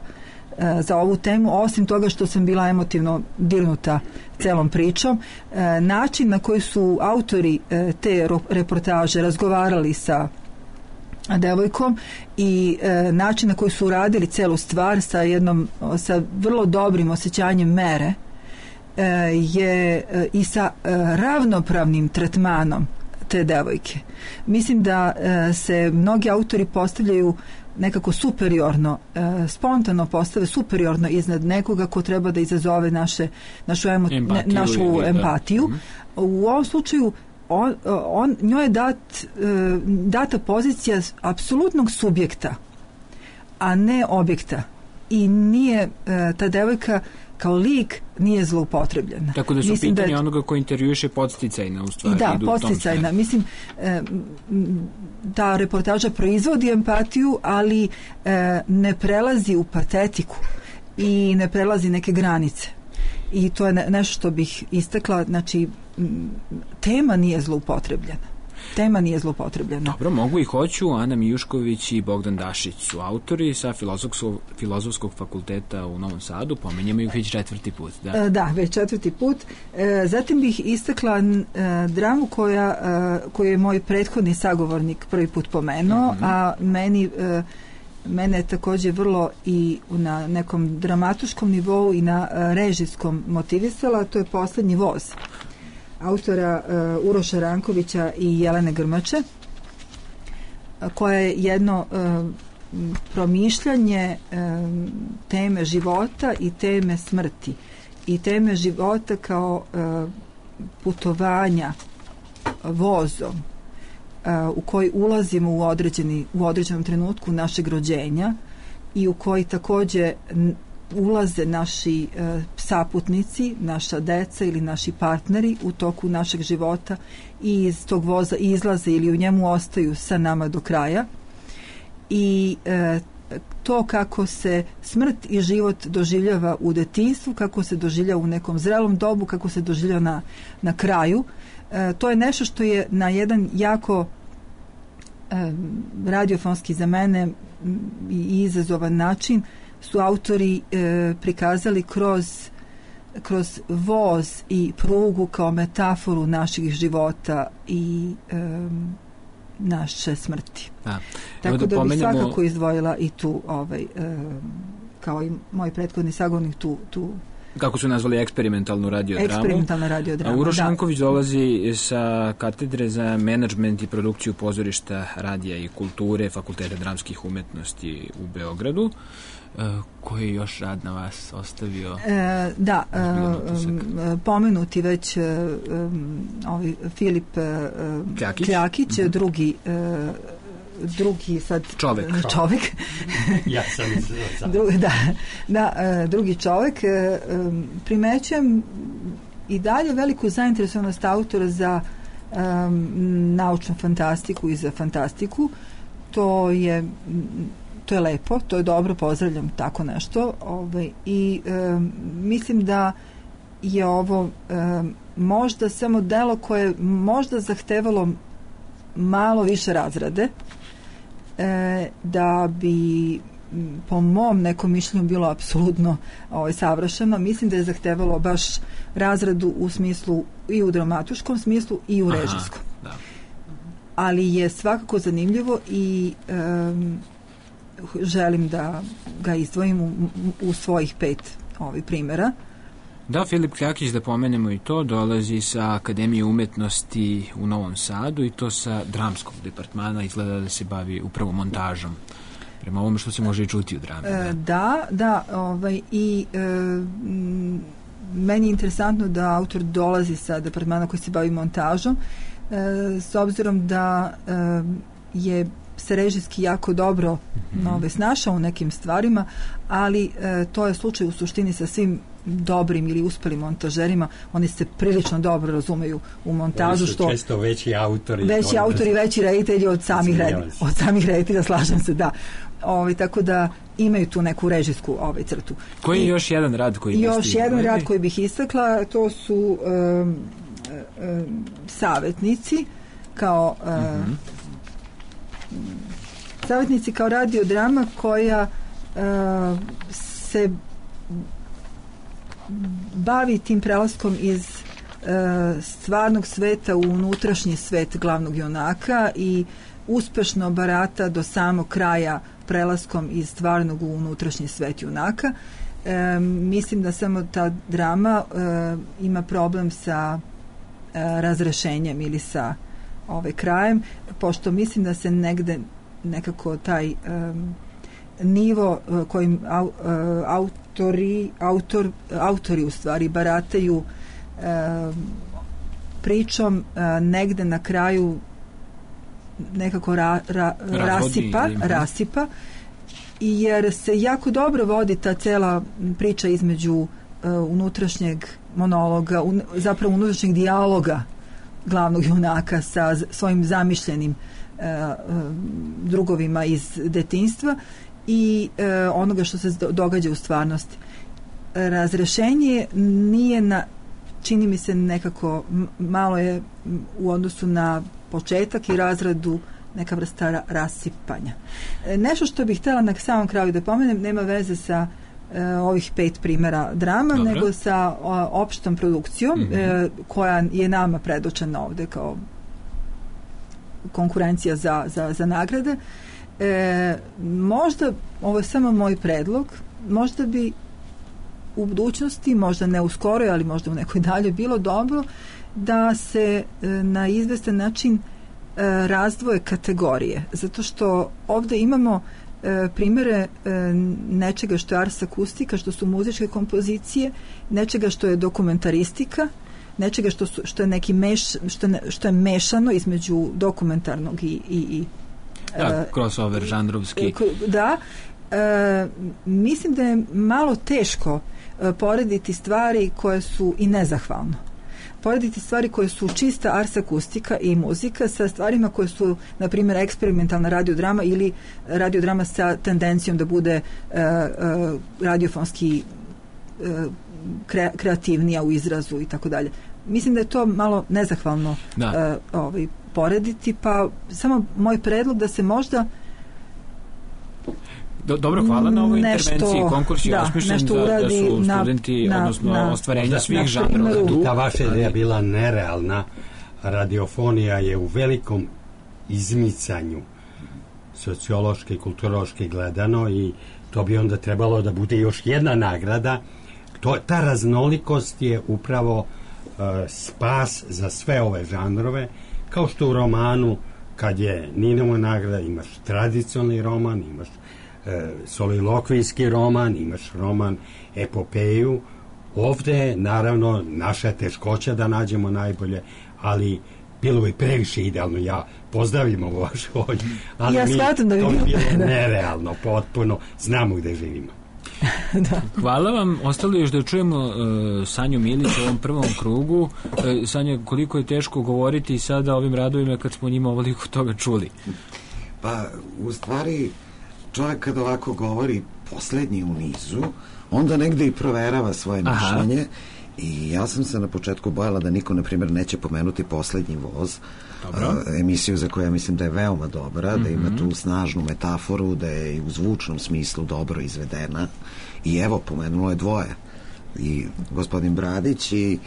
za ovu temu, osim toga što sam bila emotivno dirnuta celom pričom. E, način na koji su autori e, te reportaže razgovarali sa devojkom i e, način na koji su uradili celu stvar sa jednom, sa vrlo dobrim osjećanjem mere e, je e, i sa e, ravnopravnim tretmanom te devojke. Mislim da e, se mnogi autori postavljaju nekako superiorno, e, spontano postave superiorno iznad nekoga ko treba da izazove naše, našu, emo, empatiju, ne, našu ili, empatiju. Da. U ovom slučaju on, on, njoj je dat, e, data pozicija apsolutnog subjekta, a ne objekta. I nije e, ta devojka kao lik nije zloupotrebljena. Tako da su Mislim pitanje da je, onoga ko intervjuše podsticajna u stvari. Da, podsticajna. Mislim, e, ta reportaža proizvodi empatiju, ali e, ne prelazi u patetiku i ne prelazi neke granice. I to je ne, nešto što bih istakla. Znači, tema nije zloupotrebljena. Tema nije zlopotrebljena. Dobro, mogu i hoću. Ana Mijušković i Bogdan Dašić su autori sa Filozofskog, Filozofskog fakulteta u Novom Sadu. Pomenjamo ih već četvrti put. Da, da već četvrti put. E, zatim bih istakla e, dramu koja, e, koju je moj prethodni sagovornik prvi put pomenuo, uh-huh. a meni e, mene je također vrlo i na nekom dramatuškom nivou i na e, režijskom motivisala, to je Poslednji voz autora uh, Uroša Rankovića i Jelene Grmače, koja je jedno uh, promišljanje uh, teme života i teme smrti i teme života kao uh, putovanja vozom uh, u koji ulazimo u, određeni, u određenom trenutku našeg rođenja i u koji također ulaze naši e, saputnici, naša deca ili naši partneri u toku našeg života i iz tog voza izlaze ili u njemu ostaju sa nama do kraja. I e, to kako se smrt i život doživljava u detinjstvu, kako se doživljava u nekom zrelom dobu, kako se doživljava na, na kraju, e, to je nešto što je na jedan jako e, radiofonski za mene i izazovan način su autori e, prikazali kroz kroz voz i prugu kao metaforu naših života i e, naše smrti. Da. Tako da, da pomenemo... bih svakako izdvojila i tu ovaj, e, kao i moj prethodni sagovornik tu, tu kako su nazvali eksperimentalnu radiodramu. Eksperimentalna radiodrama, Uroš da. Šanković dolazi sa katedre za menadžment i produkciju pozorišta, radija i kulture Fakulteta dramskih umetnosti u Beogradu. E, koji je još rad na vas ostavio? E, da, e, pomenuti već e, ovaj Filip e, Kljakić, Kljakić mm-hmm. drugi e, drugi sad čovek, čovek. ja sam sam. Dru, da, da e, drugi čovek e, primećujem i dalje veliku zainteresovanost autora za e, naučnu fantastiku i za fantastiku. To je to je lepo, to je dobro, pozdravljam tako nešto, ovaj, i e, mislim da je ovo e, možda samo delo koje možda zahtevalo malo više razrade, e, da bi po mom nekom mišljenju bilo apsolutno ovaj, savršeno. Mislim da je zahtevalo baš razradu u smislu i u dramatuškom smislu i u režijskom. Aha, da. Ali je svakako zanimljivo i e, želim da ga izdvojim u, u svojih pet ovih primjera. Da, Filip Kljakić, da pomenemo i to, dolazi sa Akademije umetnosti u Novom Sadu i to sa dramskog departmana, izgleda da se bavi upravo montažom, prema ovome što se može i čuti u drami. Da, da, da ovaj, i e, m, meni je interesantno da autor dolazi sa departmana koji se bavi montažom, e, s obzirom da e, je se režijski jako dobro mm-hmm. ove, snašao u nekim stvarima, ali e, to je slučaj u suštini sa svim dobrim ili uspelim montažerima. Oni se prilično dobro razumeju u montažu. Oni su što često veći autori. Veći autori, veći reditelji od samih reditelja. Od samih reditelja, slažem se, da. Ove, tako da imaju tu neku režijsku ovaj, crtu. Koji je I, još jedan rad koji još jedan rad koji bih istakla, to su um, um, Savetnici kao um, mm-hmm. Savetnici kao radiodrama koja uh, se bavi tim prelaskom iz uh, stvarnog sveta u unutrašnji svet glavnog junaka i uspešno barata do samog kraja prelaskom iz stvarnog u unutrašnji svet junaka. E, mislim da samo ta drama e, ima problem sa e, razrešenjem ili sa ovaj krajem, pošto mislim da se negde nekako taj e, nivo e, kojim au, e, autori, autor, autori u stvari barataju e, pričom e, negde na kraju nekako ra, ra, rasipa, rasipa i jer se jako dobro vodi ta cela priča između uh, unutrašnjeg monologa, un, zapravo unutrašnjeg dijaloga glavnog junaka sa z, svojim zamišljenim uh, uh, drugovima iz detinjstva i uh, onoga što se do, događa u stvarnosti. Razrešenje nije na, čini mi se nekako m, malo je u odnosu na početak i razradu neka vrsta ra- rasipanja. E, nešto što bih htjela na samom kraju da pomenem, nema veze sa e, ovih pet primjera drama, Dobre. nego sa o, opštom produkcijom mm-hmm. e, koja je nama predočena ovde kao konkurencija za, za, za nagrade. E, možda, ovo je samo moj predlog, možda bi u budućnosti, možda ne u skoroj, ali možda u nekoj dalje, bilo dobro da se e, na izvestan način e, razdvoje kategorije, zato što ovde imamo e, primjere e, nečega što je ars akustika, što su muzičke kompozicije, nečega što je dokumentaristika, nečega što, su, što je neki meš, što, ne, što je mešano između dokumentarnog i, i, i da, e, crossover žanrovski. Da, e, mislim da je malo teško e, porediti stvari koje su i nezahvalno. Porediti stvari koje su čista ars akustika i muzika sa stvarima koje su, na primjer, eksperimentalna radiodrama ili radiodrama sa tendencijom da bude uh, uh, radiofonski uh, kre, kreativnija u izrazu i tako dalje. Mislim da je to malo nezahvalno uh, ovaj, porediti, pa samo moj predlog da se možda Do, dobro, hvala na ovoj nešto, intervenciji. Konkurs je da, osmišljen da, da su na, studenti, na, odnosno na, ostvarenja svih na žanrova. Ta vaša ideja bila nerealna. Radiofonija je u velikom izmicanju sociološki, kulturološki gledano i to bi onda trebalo da bude još jedna nagrada. To, ta raznolikost je upravo uh, spas za sve ove žanrove, kao što u romanu kad je Ninova nagrada imaš tradicionalni roman, imaš e, solilokvijski roman, imaš roman epopeju. Ovde je naravno naša teškoća da nađemo najbolje, ali bilo bi previše idealno. Ja pozdravim ovo vašu volju, ali ja mi shvatam da bi to bi bilo bilo nerealno, potpuno znamo gde živimo. Da. Hvala vam. Ostalo još da čujemo uh, Sanju Milić u ovom prvom krugu. Uh, Sanja, koliko je teško govoriti sada o ovim radovima kad smo njima ovoliko toga čuli? Pa, u stvari, čovjek kada ovako govori poslednji u nizu, onda negde i proverava svoje Aha. mišljenje. I ja sam se na početku bojala da niko, na primjer, neće pomenuti Poslednji voz, a, emisiju za koju ja mislim da je veoma dobra, mm-hmm. da ima tu snažnu metaforu, da je i u zvučnom smislu dobro izvedena. I evo, pomenulo je dvoje. I gospodin Bradić i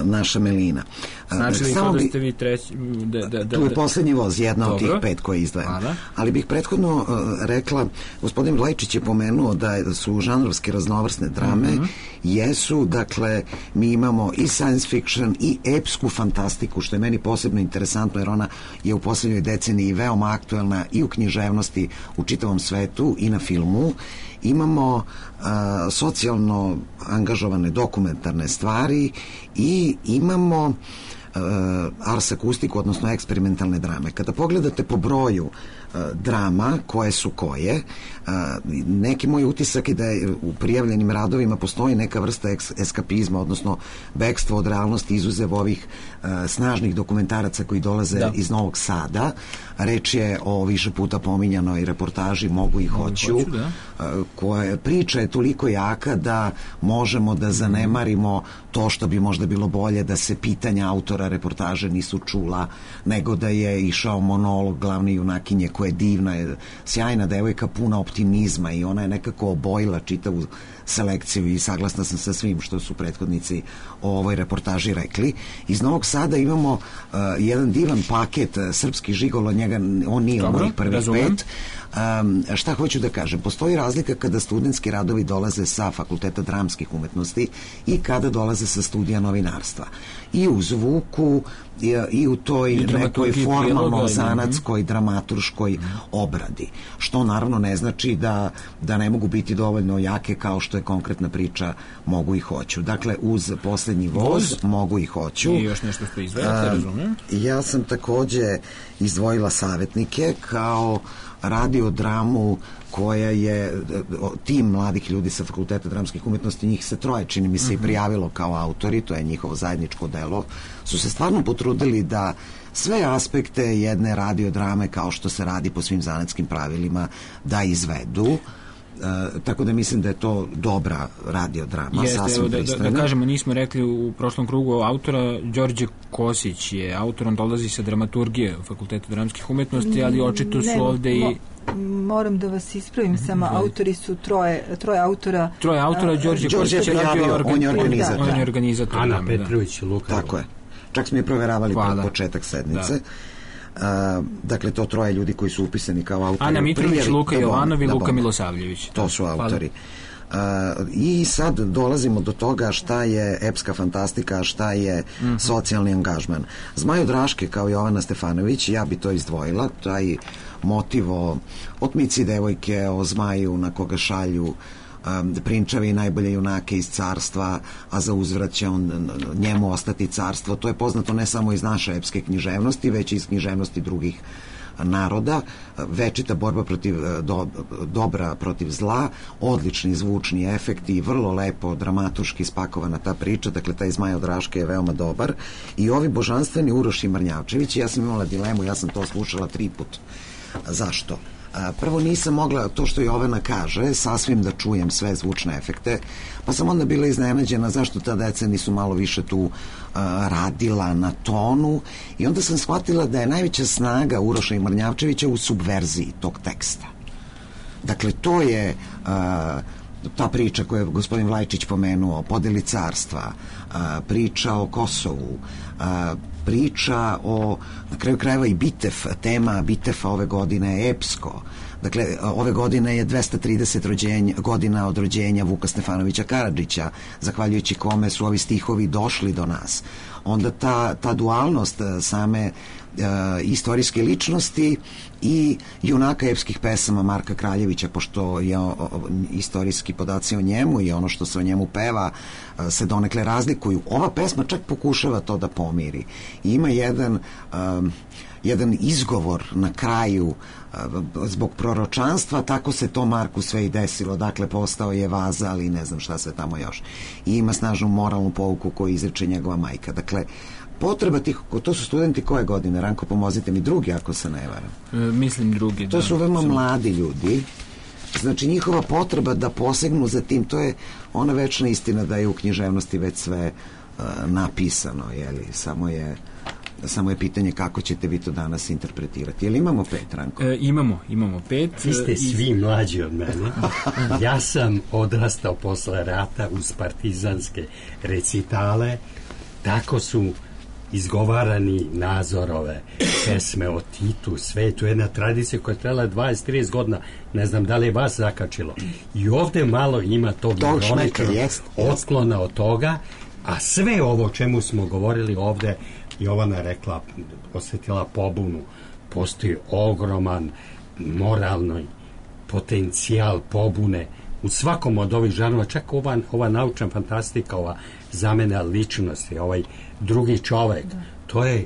naša Melina. Znači li to da ste vi treći? Da, da, da, tu je Poslednji voz, jedna dobro. Od tih pet koje izdvajam. Ali bih prethodno uh, rekla, gospodin Vlajčić je pomenuo da su žanrovske raznovrsne drame, mm-hmm. jesu, dakle, mi imamo i science fiction i epsku fantastiku, što je meni posebno interesantno, jer ona je u poslednjoj deceniji veoma aktuelna i u književnosti u čitavom svetu i na filmu. Imamo a, socijalno angažovane dokumentarne stvari i imamo a, ars akustiku, odnosno eksperimentalne drame. Kada pogledate po broju a, drama, koje su koje, a, neki moj utisak je da je u prijavljenim radovima postoji neka vrsta eks, eskapizma, odnosno bekstvo od realnosti, izuzev ovih a, snažnih dokumentaraca koji dolaze da. iz Novog Sada. Reč je o više puta pominjanoj reportaži Mogu i hoću, hoću da. koja priča je toliko jaka da možemo da zanemarimo to što bi možda bilo bolje da se pitanja autora reportaže nisu čula, nego da je išao monolog glavne junakinje koja je divna, je sjajna devojka, puna optimizma i ona je nekako obojila čitavu selekciju i saglasna sam sa svim što su prethodnici o ovoj reportaži rekli. Iz Novog Sada imamo uh, jedan divan paket uh, srpski žigolo, njega, on nije u mojih prvih pet. Um, šta hoću da kažem? Postoji razlika kada studentski radovi dolaze sa Fakulteta dramskih umetnosti i kada dolaze sa studija novinarstva. I u zvuku i, i u toj I nekoj formalno zanatskoj, dramaturškoj obradi. Što naravno ne znači da, da ne mogu biti dovoljno jake kao što je konkretna priča Mogu i hoću. Dakle, uz Poslednji voz, voz. Mogu i hoću. I još nešto što izvajate, razumem? Ja sam takođe izdvojila Savetnike kao radiodramu koja je tim mladih ljudi sa Fakulteta dramskih umetnosti, njih se troje, čini mi se, i prijavilo kao autori, to je njihovo zajedničko delo, su se stvarno potrudili da sve aspekte jedne radiodrame, kao što se radi po svim zanatskim pravilima, da izvedu. Uh, tako da mislim da je to dobra radiodrama. Jeste, sasvim da, da, da kažemo, nismo rekli u prošlom krugu autora, Đorđe Kosić je autor, on dolazi sa dramaturgije u Fakultetu dramskih umetnosti, ali očito su ne, ovde mo, i... Moram da vas ispravim, samo mm-hmm. autori su troje, troje autora. Troje autora, Đorđe Kosić je radio, on je organizator. On je organizator. Ana Petrović i Luka. Tako je. Čak smo je proveravali pred početak sednice. Da. Uh, dakle, to troje ljudi koji su upisani kao autori. Ana Mitrović, Luka Jovanov i Luka Milosavljević. To su autori. Uh, I sad dolazimo do toga šta je epska fantastika, šta je mm-hmm. socijalni angažman. Zmajo Draške kao Jovana Stefanović, ja bi to izdvojila, taj motiv o otmici devojke, o zmaju na koga šalju Um, prinčevi i najbolje junake iz carstva, a za uzvrat će on, njemu ostati carstvo. To je poznato ne samo iz naše epske književnosti, već i iz književnosti drugih naroda. Večita borba protiv do, dobra protiv zla, odlični zvučni efekti, vrlo lepo dramaturški spakovana ta priča. Dakle, taj Zmaj od Raške je veoma dobar. I ovi božanstveni Uroš i Mrnjavčević, ja sam imala dilemu, ja sam to slušala tri put. Zašto? Prvo nisam mogla, to što Jovana kaže, sasvim da čujem sve zvučne efekte, pa sam onda bila iznenađena zašto ta deca nisu malo više tu uh, radila na tonu, i onda sam shvatila da je najveća snaga Uroša i Mrnjavčevića u subverziji tog teksta. Dakle, to je a, ta priča koju je gospodin Vlajčić pomenuo, podeli carstva, a, priča o Kosovu, a, priča o, na kraju krajeva i Bitev, tema Bitefa ove godine je epsko. Dakle, ove godine je dvesta trideset rođenja, godina od rođenja Vuka Stefanovića Karadžića, zahvaljujući kome su ovi stihovi došli do nas. Onda ta, ta dualnost same uh, istorijske ličnosti i junaka epskih pesama Marka Kraljevića, pošto je o, o, istorijski podaci o njemu i ono što se o njemu peva uh, se donekle razlikuju. Ova pesma čak pokušava to da pomiri. I ima jedan um, jedan izgovor na kraju zbog proročanstva, tako se to Marku sve i desilo, dakle postao je vazal i ne znam šta se tamo još. I ima snažnu moralnu pouku koju izreče njegova majka. Dakle, potreba tih, to su studenti koje godine? Ranko, pomozite mi, drugi ako se ne varam. E, mislim drugi. To da, su veoma sam... mladi ljudi. Znači, njihova potreba da posegnu za tim, to je ona večna istina da je u književnosti već sve uh, napisano, jeli, samo je samo je pitanje kako ćete vi to danas interpretirati. Jel imamo pet, Ranko? E, imamo, imamo pet. Vi ste svi mlađi od mene. Ja sam odrastao posle rata uz partizanske recitale. Tako su izgovarani Nazorove pesme o Titu, sve. To je jedna tradicija koja je trajala dvadeset do trideset godina. Ne znam da li je vas zakačilo. I ovde malo ima tog ironičnog otklona od toga, a sve ovo o čemu smo govorili ovde, Jovana rekla, osjetila pobunu, postoji ogroman moralni potencijal pobune u svakom od ovih žanova, čak ova, ova naučna fantastika, ova zamena ličnosti, ovaj drugi čovek, da. To je,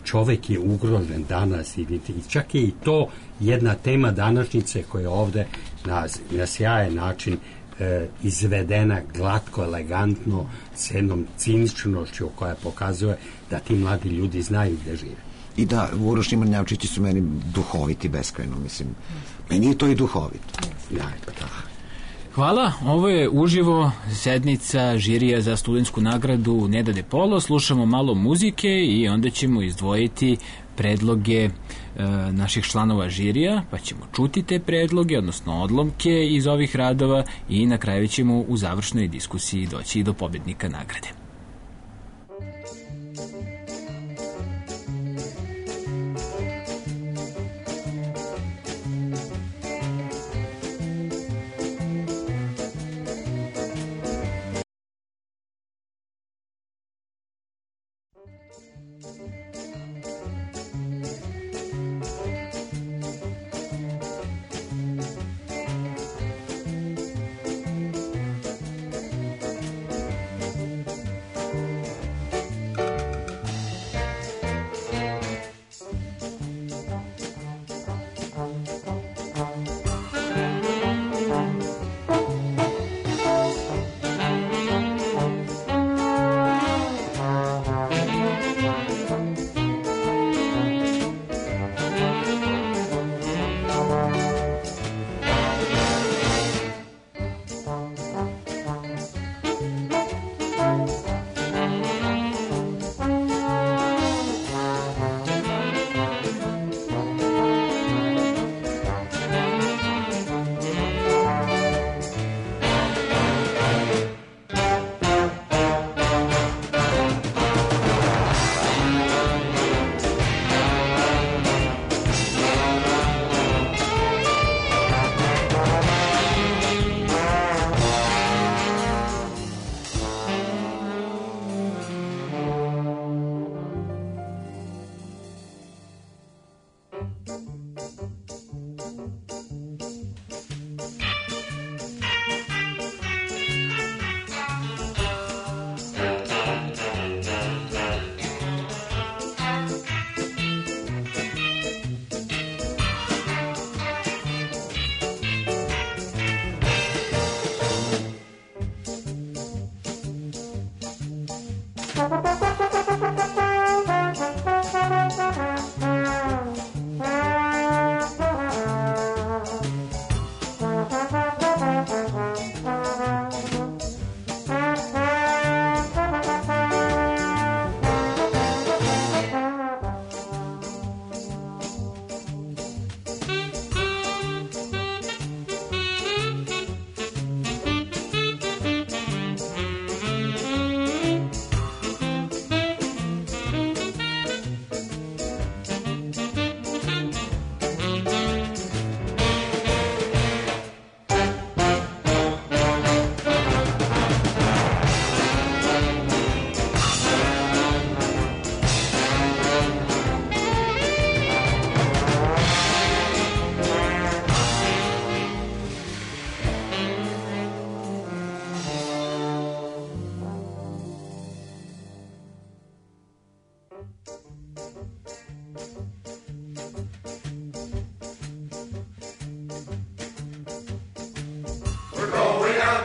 čovek je ugrožen danas i čak je i to jedna tema današnjice koja je ovde na, na sjajan način E, izvedena glatko, elegantno, s jednom ciničnošću koja pokazuje da ti mladi ljudi znaju gde žive. I da, Uroš i Mrnjavčići su meni duhoviti beskrajno, mislim. Meni je to i duhovito. Ja, pa da. Hvala, ovo je uživo sednica žirija za studentsku nagradu Neda de Polo. Slušamo malo muzike i onda ćemo izdvojiti predloge e, naših članova žirija, pa ćemo čuti te predloge, odnosno odlomke iz ovih radova i na kraju ćemo u završnoj diskusiji doći i do pobednika nagrade.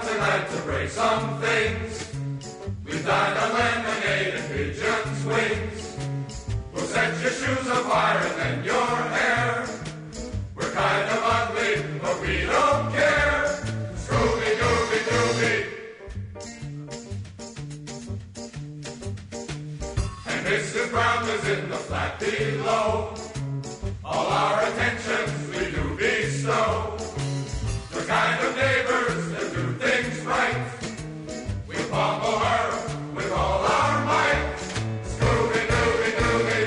out tonight to break some things. We dined on lemonade and pigeon's wings. We'll set your shoes on fire and then your hair. We're kind of ugly, but we don't care. Scooby, Dooby, Dooby. And Missus Brown is in the flat below. All our attentions we do bestow. The kind of neighbors that do things right. We pummel her with all our might. Scooby, Dooby, Dooby.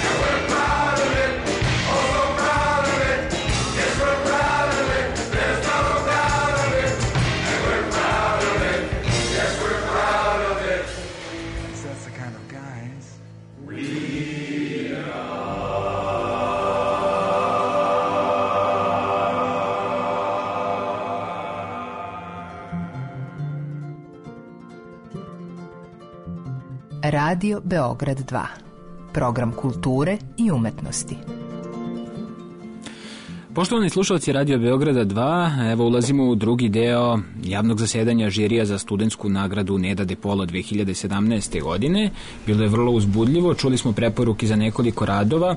And we're proud of it, oh so proud of it. Yes, we're proud of it, there's no doubt of it. And we're proud of it, yes, we're proud of it. That's the kind of guys we are. Radio Beograd dva. Program kulture i umetnosti. Poštovani slušalci Radio Beograda dva, evo ulazimo u drugi deo javnog zasedanja žirija za studentsku nagradu Neda de Polo dve hiljade sedamnaeste. godine. Bilo je vrlo uzbudljivo, čuli smo preporuke za nekoliko radova e,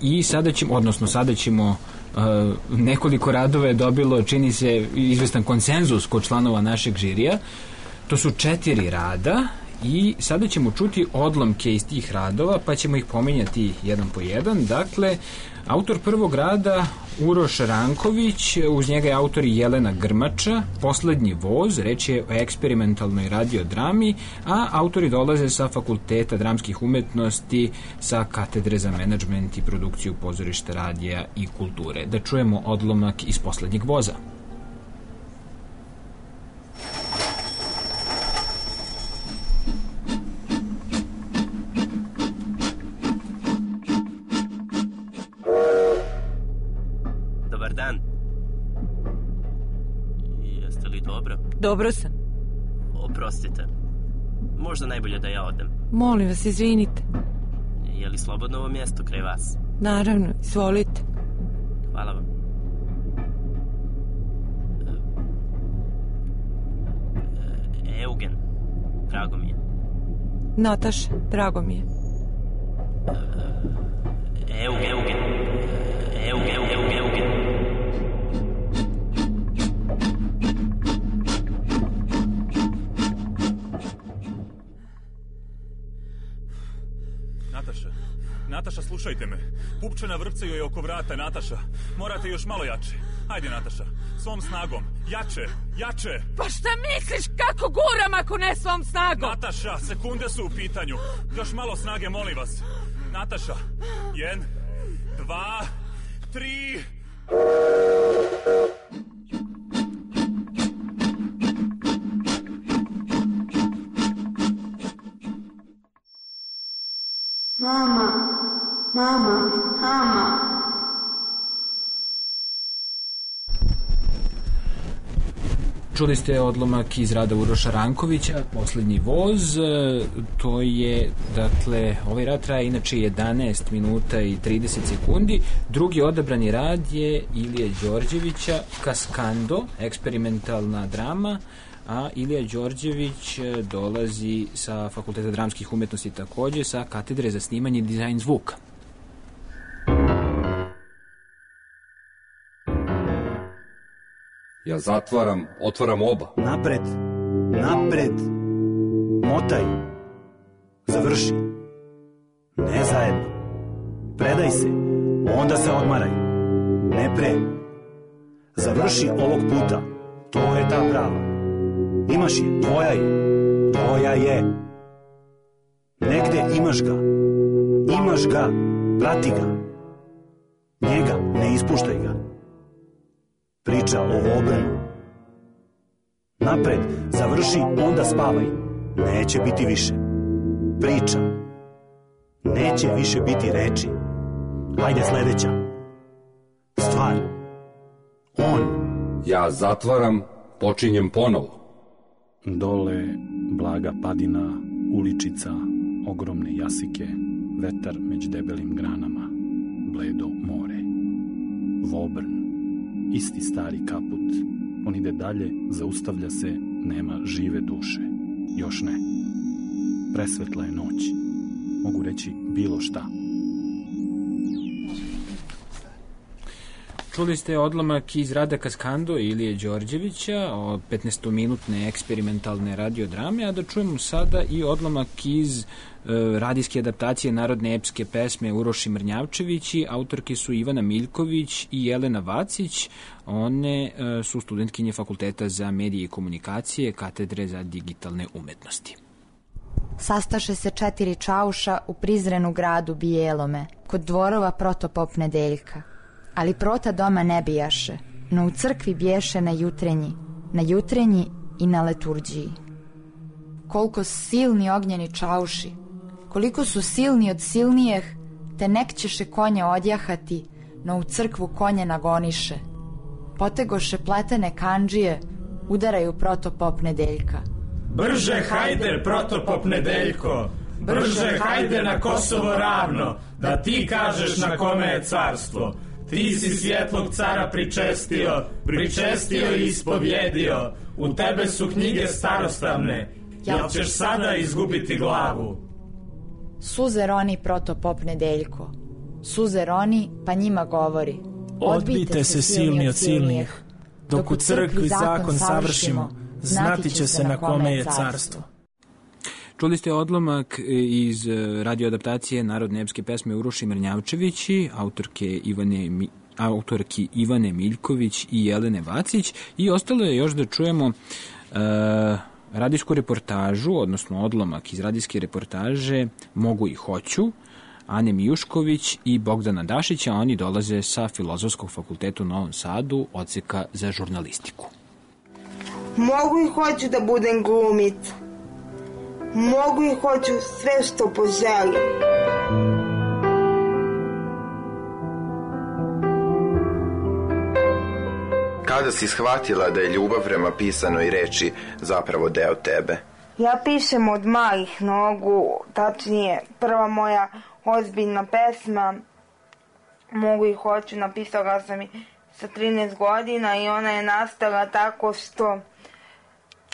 i sada ćemo, odnosno sada ćemo e, nekoliko radova je dobilo, čini se, izvestan konsenzus kod članova našeg žirija. To su četiri rada i sada ćemo čuti odlomke iz tih radova, pa ćemo ih pominjati jedan po jedan. Dakle, autor prvog rada Uroš Ranković, uz njega je autor Jelena Grmača, Poslednji voz, reč je o eksperimentalnoj radiodrami, a autori dolaze sa Fakulteta dramskih umetnosti, sa Katedre za menadžment i produkciju pozorišta, radija i kulture. Da čujemo odlomak iz Poslednjeg voza. Dobro sam. Oprostite. Možda najbolje da ja odem. Molim vas, izvinite. Je li slobodno ovo mjesto kraj vas? Naravno, izvolite. Hvala vam. E, Eugen, drago mi je. Nataša, drago mi je. Eugen, Eugen. Eugen, Eugen, Eugen. Nataša, slušajte me. Pupčana vrpcaju je oko vrata, Nataša. Morate još malo jače. Ajde, Nataša, svom snagom. Jače, jače. Pa šta misliš, kako guram ako ne svom snagom? Nataša, sekunde su u pitanju. Još malo snage, molim vas. Nataša, jedan, dva, tri... Mama, mama, mama. Čuli ste odlomak iz rada Uroša Rankovića, Poslednji voz. To je, dakle, ovaj rad traje inače jedanaest minuta i trideset sekundi. Drugi odabrani rad je Ilije Đorđevića, Kaskando, eksperimentalna drama, a Ilija Đorđević dolazi sa Fakulteta dramskih umetnosti, takođe sa Katedre za snimanje i dizajn zvuka. Ja zatvaram, otvaram oba. Napred, napred, motaj, završi. Ne zajedno. Predaj se, onda se odmaraj. Ne pre. Završi ovog puta, to je ta prava. Imaš je, tvoja je, tvoja je. Negde imaš ga, imaš ga, prati ga. Njega, ne ispuštaj ga. Priča o obranu. Napred, završi, onda spavaj. Neće biti više. Priča. Neće više biti reči. Hajde sledeća. Stvar. On. Ja zatvaram, počinjem ponovo. Dole blaga padina, uličica, ogromne jasike, vetar među debelim granama, bledo more. obrn. Isti stari kaput. On ide dalje, zaustavlja se, nema žive duše. Još ne. Presvetla je noć. Mogu reći bilo šta. Čuli ste odlomak iz Rada Kaskando i Ilije Đorđevića o petnaestominutne eksperimentalne radiodrame, a da čujemo sada i odlomak iz e, radijske adaptacije narodne epske pesme Uroši Mrnjavčevići. Autorke su Ivana Miljković i Jelena Vacić. One e, su studentkinje Fakulteta za medije i komunikacije, Katedre za digitalne umetnosti. Sastaše se četiri čauša u prizrenu gradu Bijelome, kod dvorova protopop Nedeljka. Ali prota doma ne bijaše, no u crkvi biješe na jutrenji, na jutrenji i na leturđiji. Koliko silni ognjeni čauši, koliko su silni od silnijeh, te nek ćeše konje odjahati, no u crkvu konje nagoniše. Potegoše pletene kandžije, udaraju protopop Nedeljka. Brže hajde, protopop Nedeljko, brže hajde na Kosovo ravno, da ti kažeš na kome je carstvo. Ti si svjetlog cara pričestio, pričestio i ispovjedio, u tebe su knjige starostavne, jel ćeš sada izgubiti glavu? Suze roni protopop Nedeljko, suze roni pa njima govori. Odbijte se silni od silnijih, dok u crkvi zakon savršimo, znati će se na kome je carstvo. Čuli ste odlomak iz radioadaptacije narodne epske pesme Uroši Mrnjavčevići, autorke Ivane, autorki Ivane Miljković i Jelene Vacić, i ostalo je još da čujemo uh, radijsku reportažu, odnosno odlomak iz radijske reportaže Mogu i hoću, Ane Mijušković i Bogdana Dašića. Oni dolaze sa Filozofskog fakulteta u Novom Sadu, odseka za žurnalistiku. Mogu i hoću da budem glumica. Mogu i hoću sve što poželim. Kada si shvatila da je ljubav prema pisanoj reči zapravo deo tebe? Ja pišem od malih nogu, tačnije prva moja ozbiljna pesma Mogu i hoću napisala sam i sa trinaest godina i ona je nastala tako što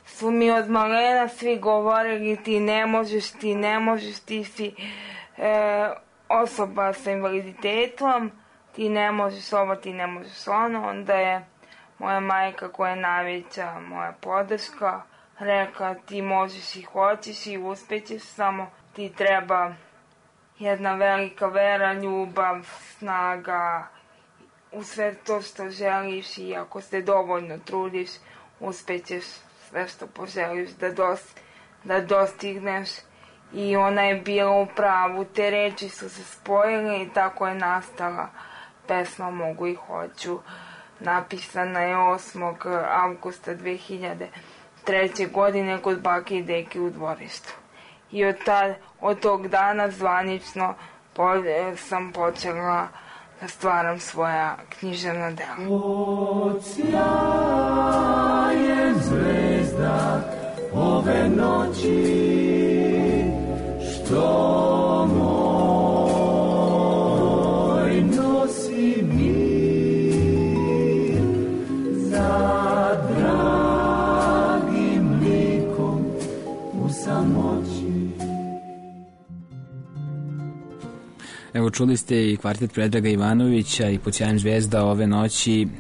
su mi od malena svi govorili ti ne možeš, ti ne možeš, ti si e, osoba sa invaliditetom, ti ne možeš ovo, ti ne možeš ono. Onda je moja majka, koja je najveća moja podrška, rekla ti možeš i hoćeš i uspećeš, samo ti treba jedna velika vera, ljubav, snaga, u sve to što želiš, i ako se dovoljno trudiš, uspećeš sve što poželiš da, dos, da dostigneš. I ona je bila u pravu, te reči su se spojile i tako je nastala pesma Mogu i hoću. Napisana je osmog avgusta dve hiljade treće. godine kod bake i deke u dvorištu. I od, ta, od tog dana zvanično po, sam počela da stvaram svoja književna dela. Odsjaje zvezda ove noći, što moj nosi mir za dragim likom u samoći. Evo, čuli ste i kvartet Predraga Ivanovića i Pod sjajem zvezda ove noći uh,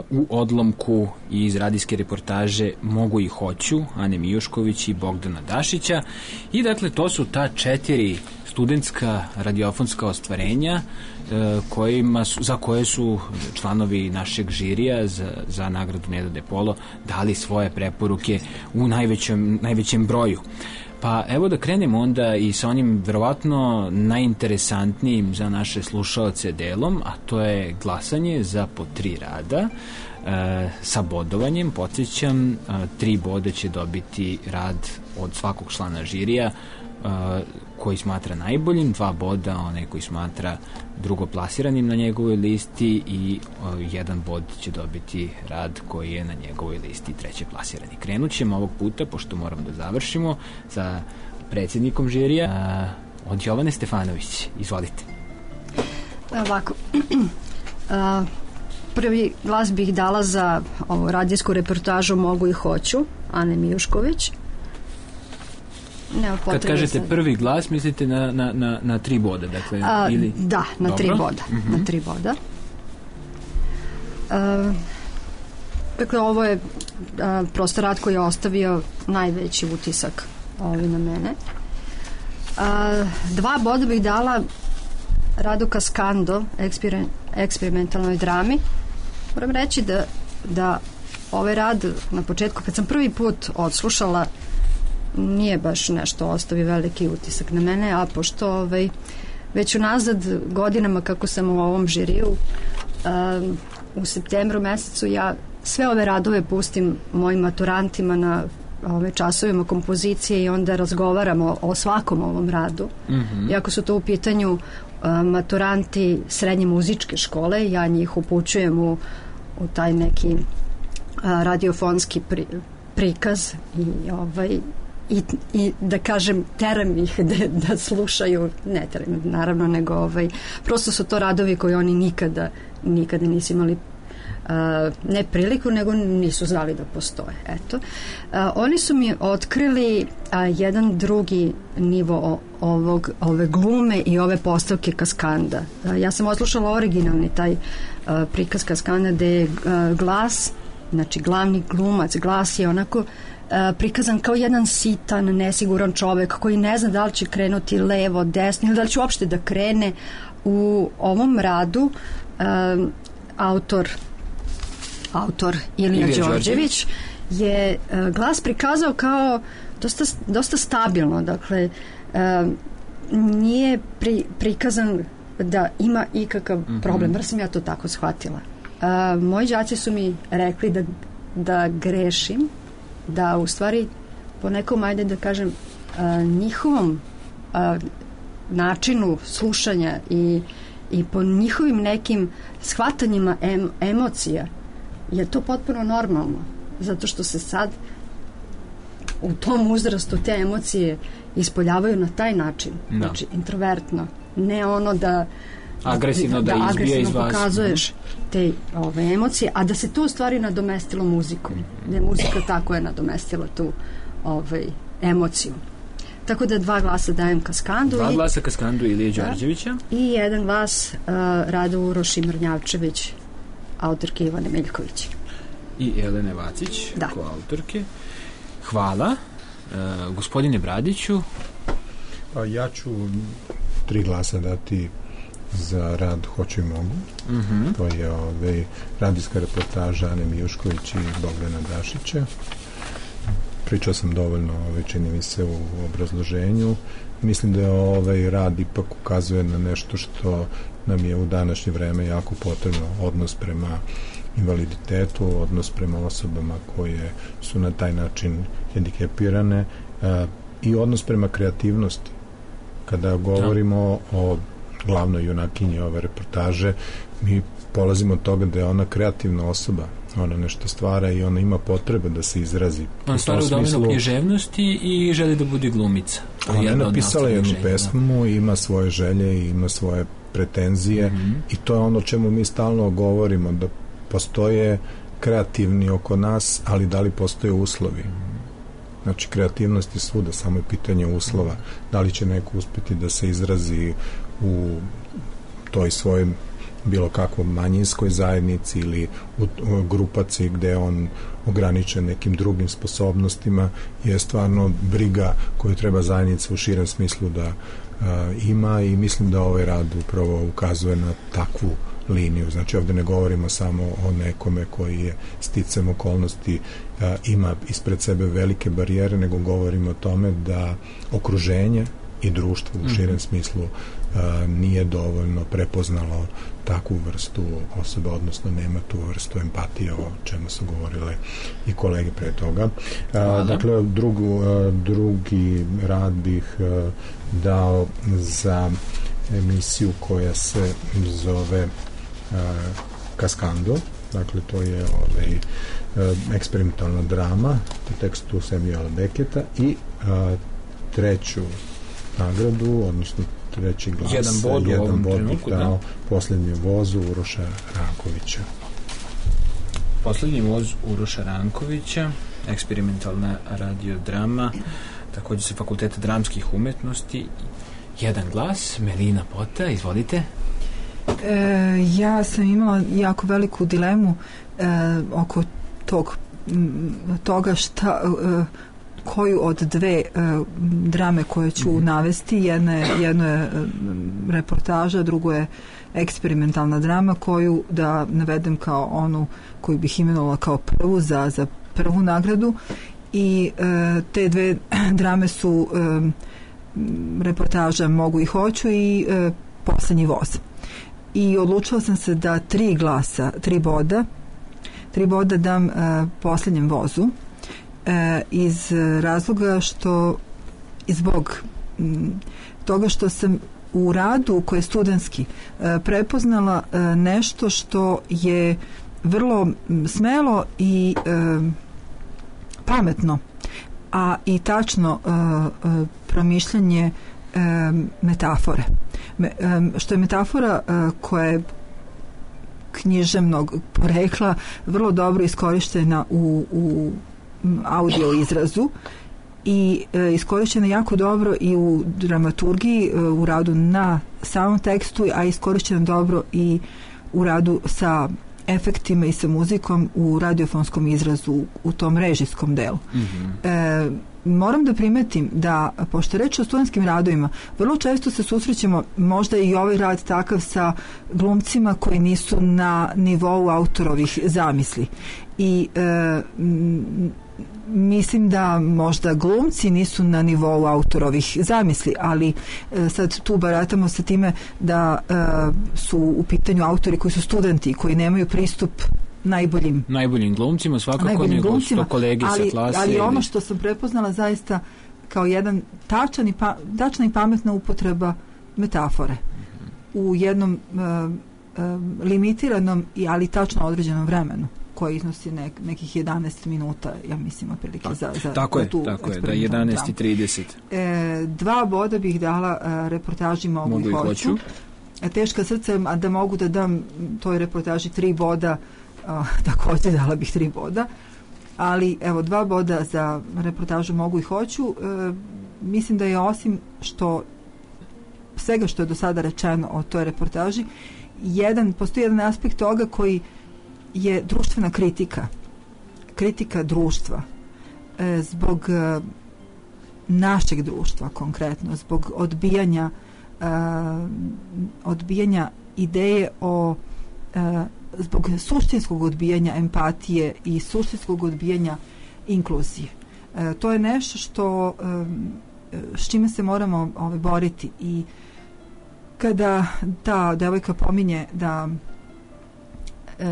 u odlomku iz radijske reportaže Mogu i hoću, Ane Mijušković i Bogdana Dašića. I dakle, to su ta četiri studentska radiofonska ostvarenja uh, kojima su, za koje su članovi našeg žirija za, za nagradu Neda de Polo dali svoje preporuke u najvećem, najvećem broju. Pa evo da krenemo onda i sa onim verovatno najinteresantnijim za naše slušaoce delom, a to je glasanje za po tri rada e, sa bodovanjem. Podsjećam, e, tri boda će dobiti rad od svakog člana žirija e, koji smatra najboljim, dva boda onaj koji smatra drugoplasiranim na njegovoj listi i o, jedan bod će dobiti rad koji je na njegovoj listi treće plasirani. Krenut ćemo ovog puta, pošto moramo da završimo, sa predsjednikom žirija a, od Jovane Stefanović. Izvolite. Ovako, a, prvi glas bih dala za ovu radijsku reportažu Mogu i hoću, Ane Mijušković. Nema Kad kažete sad. prvi glas, mislite na, na, na, na tri boda, dakle, A, ili... Da, na Dobro. tri boda. Mm-hmm. Na tri boda. A, dakle, ovo je a, prosto rad koji je ostavio najveći utisak ovi na mene. A, dva boda bih dala radu Kaskando, eksper, eksperimentalnoj drami. Moram reći da, da ovaj rad na početku, kad sam prvi put odslušala, nije baš nešto ostavi veliki utisak na mene, a pošto ovaj, već unazad godinama kako sam u ovom žiriju, um, u septembru mesecu ja sve ove radove pustim mojim maturantima na ove časovima kompozicije i onda razgovaramo o svakom ovom radu. Mm-hmm. Iako su to u pitanju uh, maturanti srednje muzičke škole, ja njih upućujem u, u taj neki uh, radiofonski pri, prikaz i ovaj I, i da kažem teram ih da, da slušaju, ne teram naravno, nego ovaj, prosto su to radovi koji oni nikada nikada nisu imali uh, ne priliku, nego nisu znali da postoje. Eto. Uh, oni su mi otkrili uh, jedan drugi nivo ovog, ove glume i ove postavke Kaskanda. Uh, ja sam odslušala originalni taj uh, prikaz Kaskanda gde je uh, glas, znači glavni glumac, glas je onako prikazan kao jedan sitan, nesiguran čovek koji ne zna da li će krenuti levo, desno ili da li će uopšte da krene. U ovom radu um, autor autor Ilija Đorđević je uh, glas prikazao kao dosta, dosta stabilno, dakle um, nije pri, prikazan da ima ikakav mm-hmm. problem, jer sam ja to tako shvatila. Uh, moji đaci su mi rekli da, da grešim, da u stvari po nekom, ajde da kažem, a, njihovom a, načinu slušanja i, i po njihovim nekim shvatanjima em, emocija je to potpuno normalno, zato što se sad u tom uzrastu te emocije ispoljavaju na taj način, no. Znači introvertno, ne ono da agresivno da, da izbija iz vas, pokazuješ te ove emocije, a da se to u stvari nadomestilo muzikom, da je muzika tako je nadomestila tu ovaj, emociju. Tako da dva glasa dajem Kaskandu. Dva i, glasa Kaskandu Ilije Đorđevića. Da, i jedan glas uh, Radu Uroši Mrnjavčević, autorke Ivane Miljković. I Elene Vacić, da. Ko autorke. Hvala. Uh, gospodine Bradiću. Pa ja ću tri glasa dati za rad Hoću i mogu. Mm-hmm. To je ovaj, radijska reportaža Ane Mijušković i Bogdana Dašića. Pričao sam dovoljno, ovaj, čini mi se, u obrazloženju. Mislim da je ovaj rad ipak ukazuje na nešto što nam je u današnje vreme jako potrebno, odnos prema invaliditetu, odnos prema osobama koje su na taj način hendikepirane a, i odnos prema kreativnosti. Kada govorimo da. o glavnoj junakinji ove reportaže, mi polazimo od toga da je ona kreativna osoba, ona nešto stvara i ona ima potrebe da se izrazi. On stvara u domenu književnosti i želi da bude glumica. Ona je napisala jednu pesmu, ima svoje želje i ima svoje pretenzije mm-hmm. i to je ono o čemu mi stalno govorimo, da postoje kreativni oko nas, ali da li postoje uslovi? Znači, kreativnost je svuda, samo je pitanje uslova. Da li će neko uspjeti da se izrazi u toj svojoj bilo kakvoj manjinskoj zajednici ili u, u grupaci gde on ograničen nekim drugim sposobnostima, je stvarno briga koju treba zajednica u širem smislu da a, ima, i mislim da ovaj rad upravo ukazuje na takvu liniju. Znači, ovde ne govorimo samo o nekome koji je sticam okolnosti a, ima ispred sebe velike barijere, nego govorimo o tome da okruženje i društvo u širem smislu a, nije dovoljno prepoznalo takvu vrstu osobe, odnosno nema tu vrstu empatije, o čemu su govorile i kolege pre toga. A, dakle, drugu, a, drugi rad bih a, dao za emisiju koja se zove a, Kaskando. Dakle, to je ovaj, a, eksperimentalna drama u tekstu Samuela Becketa i a, treću nagradu, odnosno treći glas, jedan bod, jedan bod bih dao da. Poslednjem vozu Uroša Rankovića. Poslednji voz Uroša Rankovića, eksperimentalna radiodrama, takođe sa Fakulteta dramskih umetnosti. Jedan glas, Melina Pota, izvolite. E, ja sam imala jako veliku dilemu e, oko tog toga šta e, koju od dve e, drame koje ću mm-hmm. navesti. Jedna je, jedno je reportaža, drugo je eksperimentalna drama, koju da navedem kao onu koju bih imenovala kao prvu za, za prvu nagradu. I e, te dve drame su e, reportaža Mogu i hoću i e, Poslednji voz. I odlučila sam se da tri glasa, tri boda, tri boda dam e, Poslednjem vozu e, iz razloga što zbog m, toga što sam u radu koji je studentski e, prepoznala e, nešto što je vrlo smelo i e, pametno, a i tačno e, e, promišljanje e, metafore. Me, e, što je metafora e, koja je književnog porekla vrlo dobro iskorištena u, u audio izrazu i e, iskorištena jako dobro i u dramaturgiji, e, u radu na samom tekstu, a iskorištena dobro i u radu sa efektima i sa muzikom u radiofonskom izrazu, u, u tom režijskom delu. Mm-hmm. E, moram da primetim da, pošto je reč o studentskim radovima, vrlo često se susrećemo, možda i ovaj rad takav, sa glumcima koji nisu na nivou autorovih zamisli. I e, m, mislim da možda glumci nisu na nivou autorovih zamisli, ali e, sad tu baratamo sa time da e, su u pitanju autori koji su studenti, koji nemaju pristup najboljim najboljim glumcima, svakako nego sto kolegi ali, sa klase. Ali ono što sam prepoznala zaista kao jedan tačan i, pa, tačna i pametna upotreba metafore mm-hmm. u jednom e, e, limitiranom i ali tačno određenom vremenu koji iznosi nek, nekih jedanaest minuta, ja mislim, otprilike za, za tako je, tu tako je, da jedanaest i trideset. E, dva boda bih dala e, reportaži Mogu, Mogu i hoću. hoću. E, teška srca, a da mogu da dam toj reportaži tri boda, a, takođe dala bih tri boda, ali evo, dva boda za reportažu Mogu i hoću. E, mislim da je, osim što svega što je do sada rečeno o toj reportaži, jedan, postoji jedan aspekt toga koji je društvena kritika, kritika društva, e, zbog e, našeg društva konkretno, zbog odbijanja e, odbijanja ideje o e, zbog suštinskog odbijanja empatije i suštinskog odbijanja inkluzije. E, to je nešto što e, s čime se moramo ove, boriti. I kada ta devojka pominje da E,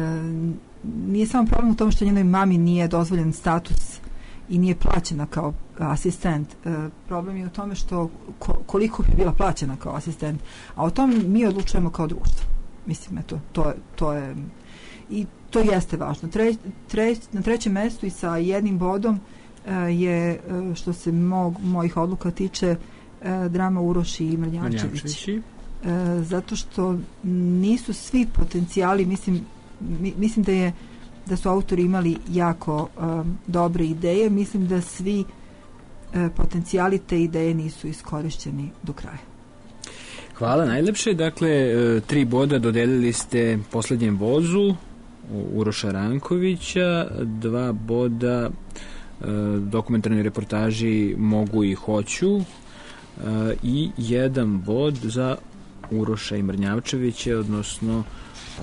nije samo problem u tom što njenoj mami nije dozvoljen status i nije plaćena kao asistent. E, problem je u tome što ko, koliko bi bila plaćena kao asistent, a o tom mi odlučujemo kao društvo. Mislim, eto, to, to je i to jeste važno. Tre, tre, na trećem mestu i sa jednim bodom e, je, e, što se mog, mojih odluka tiče, e, drama Uroši i Mrnjavčević. E, zato što nisu svi potencijali, mislim, mislim da je da su autori imali jako um, dobre ideje. Mislim da svi uh, potencijali te ideje nisu iskorišćeni do kraja. Hvala najlepše. Dakle, uh, tri boda dodelili ste Poslednjem vozu Uroša Rankovića, dva boda uh, dokumentarnoj reportaži Mogu i hoću uh, i jedan bod za Uroša i Mrnjavčevića, odnosno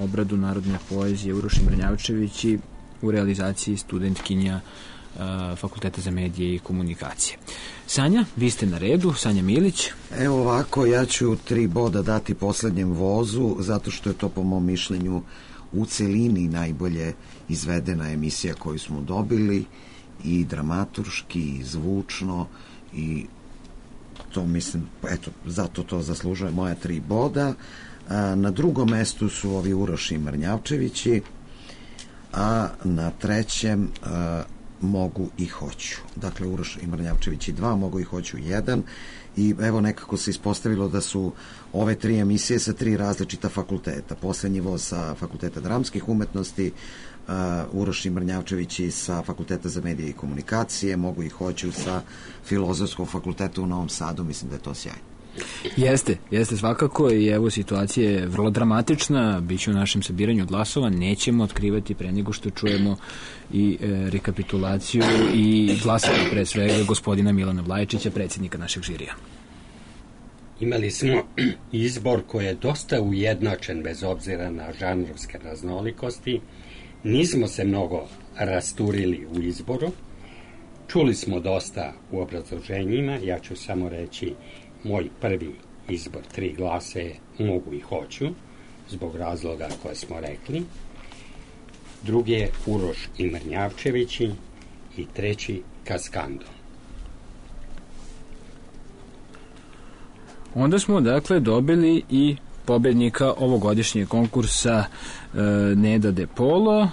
obradu narodne poezije Uroš i Mrnjavčević u realizaciji studentkinja uh, Fakulteta za medije i komunikacije. Sanja, vi ste na redu, Sanja Milić. Evo ovako, ja ću tri boda dati Poslednjem vozu, zato što je to po mom mišljenju u celini najbolje izvedena emisija koju smo dobili, i dramaturški, i zvučno, i to mislim, eto, zato to zaslužuje moja tri boda. Na drugom mestu su ovi Uroš i Mrnjavčevići, a na trećem a, Mogu i hoću. Dakle, Uroš i Mrnjavčevići dva, Mogu i hoću jedan. I evo, nekako se ispostavilo da su ove tri emisije sa tri različita fakulteta. Poslednji voz sa Fakulteta dramskih umetnosti, uh, Uroš Mrnjavčević i sa Fakulteta za medije i komunikacije, mogu i hoću sa Filozofskog fakulteta u Novom Sadu, mislim da je to sjajno. Jeste, jeste svakako i evo situacija je vrlo dramatična, bit će u našem sabiranju glasova, nećemo otkrivati pre nego što čujemo i e, rekapitulaciju i glasove pre svega gospodina Milana Vlajčića, predsjednika našeg žirija. Imali smo izbor koji je dosta ujednačen bez obzira na žanrovske raznolikosti. Nismo se mnogo rasturili u izboru. Čuli smo dosta u obrazloženjima. Ja ću samo reći moj prvi izbor tri glasa je mogu i hoću, zbog razloga koje smo rekli. Drugi je Uroš i Mrnjavčevići i treći Kaskando. Onda smo dakle dobili i pobednika ovogodišnjeg konkursa e, Neda De Polo. E,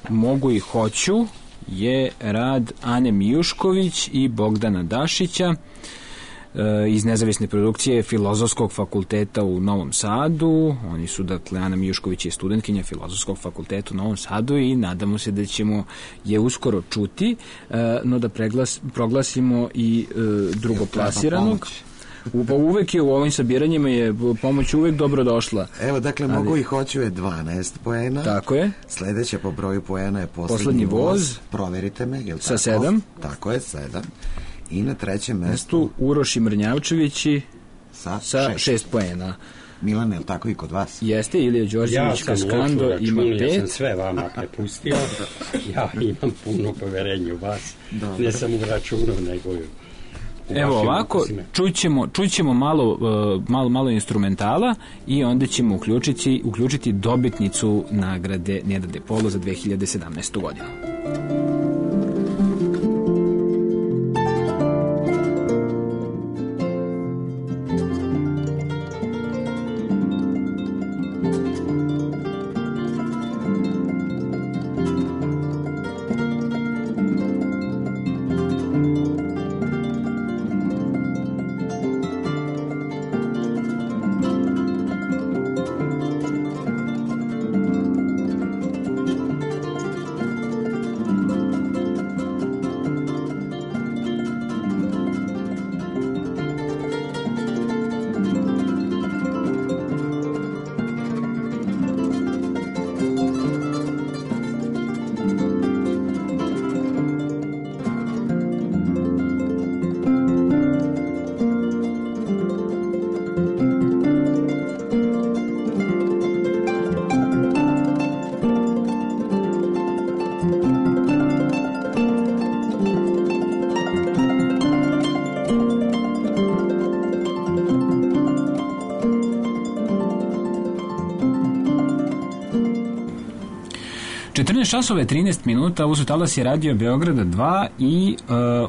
mogu i hoću je rad Ane Mijušković i Bogdana Dašića e, iz nezavisne produkcije Filozofskog fakulteta u Novom Sadu. Oni su, dakle, Ana Mijušković je studentkinja Filozofskog fakulteta u Novom Sadu i nadamo se da ćemo je uskoro čuti, e, no da preglas, proglasimo i e, drugoplasiranog. U, pa uvek je u ovim sabiranjima je pomoć uvek dobro došla. Evo, dakle, ali mogu i hoću je dvanaest poena. Tako je. Sledeća po broju poena je Poslednji, Poslednji voz. voz. Proverite me, je li sa tako? sedam. Tako je, sedam. I na trećem mestu... mestu Uroš i Mrnjavčevići sa, sa šest. šest poena. Milan, je li tako i kod vas? Jeste, Ilija Đorđević, Kaskando ja ima pet. Ja sam sve vama prepustio. Ja imam puno poverenja u vas. Dobre. Ne samo u računu, nego i evo ovako, čućemo, čućemo malo, uh, malo, malo instrumentala i onda ćemo uključiti, uključiti dobitnicu nagrade Neda De Polo za dve hiljade sedamnaestu godinu. četrnaest časova i trinaest minuta, ovo su talasi Radio Beograda dva i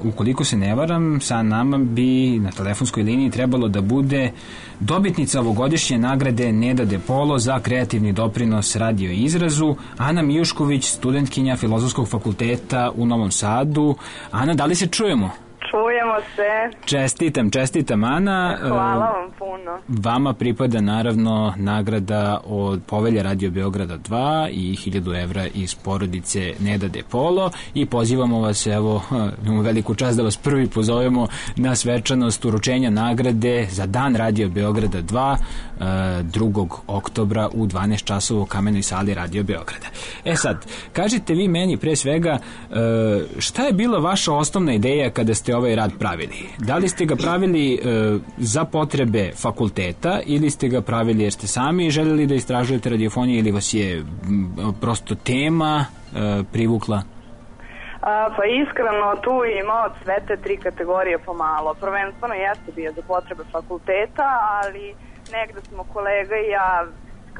uh, ukoliko se ne varam, sa nama bi na telefonskoj liniji trebalo da bude dobitnica ovogodišnje nagrade Neda De Polo za kreativni doprinos radio i izrazu, Ana Mijušković, studentkinja Filozofskog fakulteta u Novom Sadu. Ana, da li se čujemo? Čujemo se. Čestitam, čestitam, Ana. Hvala vam puno. Vama pripada naravno nagrada od Povelja Radio Beograda dva i hiljadu evra iz porodice Neda De Polo i pozivamo vas, evo, imamo veliku čast da vas prvi pozovemo na svečanost uručenja nagrade za Dan Radio Beograda dva drugog oktobra u dvanaest časova u Kamenoj sali Radio Beograda. E sad, kažite vi meni pre svega šta je bila vaša osnovna ideja kada ste ovaj rad pravili? Da li ste ga pravili e, za potrebe fakulteta ili ste ga pravili jer ste sami željeli da istražujete radiofoniju ili vas je m, prosto tema e, privukla? A, pa iskreno tu ima od sve te tri kategorije pomalo. Prvenstveno jeste bio za potrebe fakulteta, ali negde smo kolega i ja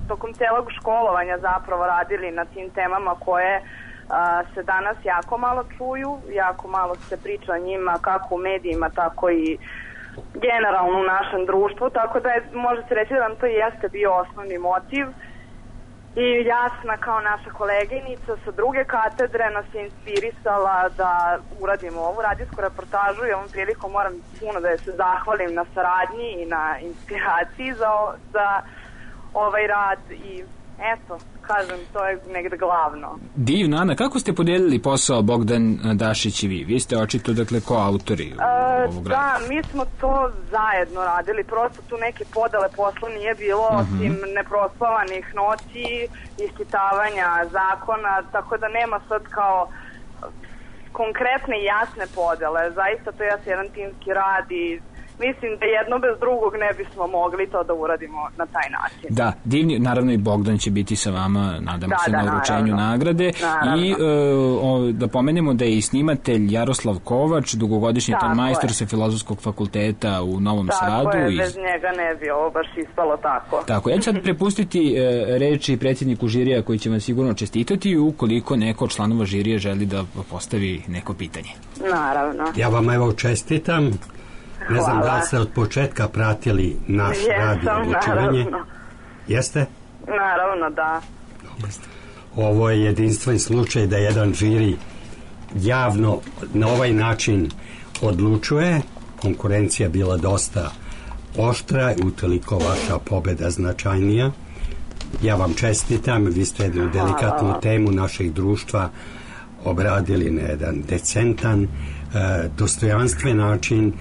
tokom celog školovanja zapravo radili na tim temama koje se danas jako malo čuju, jako malo se priča o njima kako u medijima, tako i generalno u našem društvu, tako da je, može se reći da nam to jeste bio osnovni motiv i Jasna kao naša koleginica sa druge katedre nas je inspirisala da uradimo ovu radijsku reportažu i ovom prilikom moram puno da je se zahvalim na saradnji i na inspiraciji za, za ovaj rad i eto, kažem, to je negde glavno. Divno, Ana, kako ste podelili posao Bogdan Dašić i vi? Vi ste očito, dakle, koautori e, ovog rada. Da, mi smo to zajedno radili, prosto tu neke podele posla nije bilo, uh-huh. osim neprospavanih noći, ispitavanja zakona, tako da nema sad kao konkretne i jasne podele. Zaista to je jedan timski rad i mislim da jedno bez drugog ne bismo mogli to da uradimo na taj način. Da, divni, naravno i Bogdan će biti sa vama, nadamo da, se, da, na uručenju naravno. nagrade. Naravno. I uh, o, da pomenemo da je i snimatelj Jaroslav Kovač, dugogodišnji ton majstor sa Filozofskog fakulteta u Novom tako Sadu. Tako je, iz... bez njega ne bi ovo baš ispalo tako. Tako, ja ću sad prepustiti uh, reči predsjedniku žirija koji će vam sigurno čestitati ukoliko neko od članova žirija želi da postavi neko pitanje. Naravno. Ja vam evo čestitam. Ne znam Hvala. da li ste od početka pratili naš radio odlučivanje. Jeste? Naravno, da. Jeste. Ovo je jedinstven slučaj da jedan žiri javno na ovaj način odlučuje. Konkurencija bila dosta oštra i utoliko vaša pobeda značajnija. Ja vam čestitam, vi ste jednu delikatnu Hvala. temu našeg društva obradili na jedan decentan, dostojanstven način,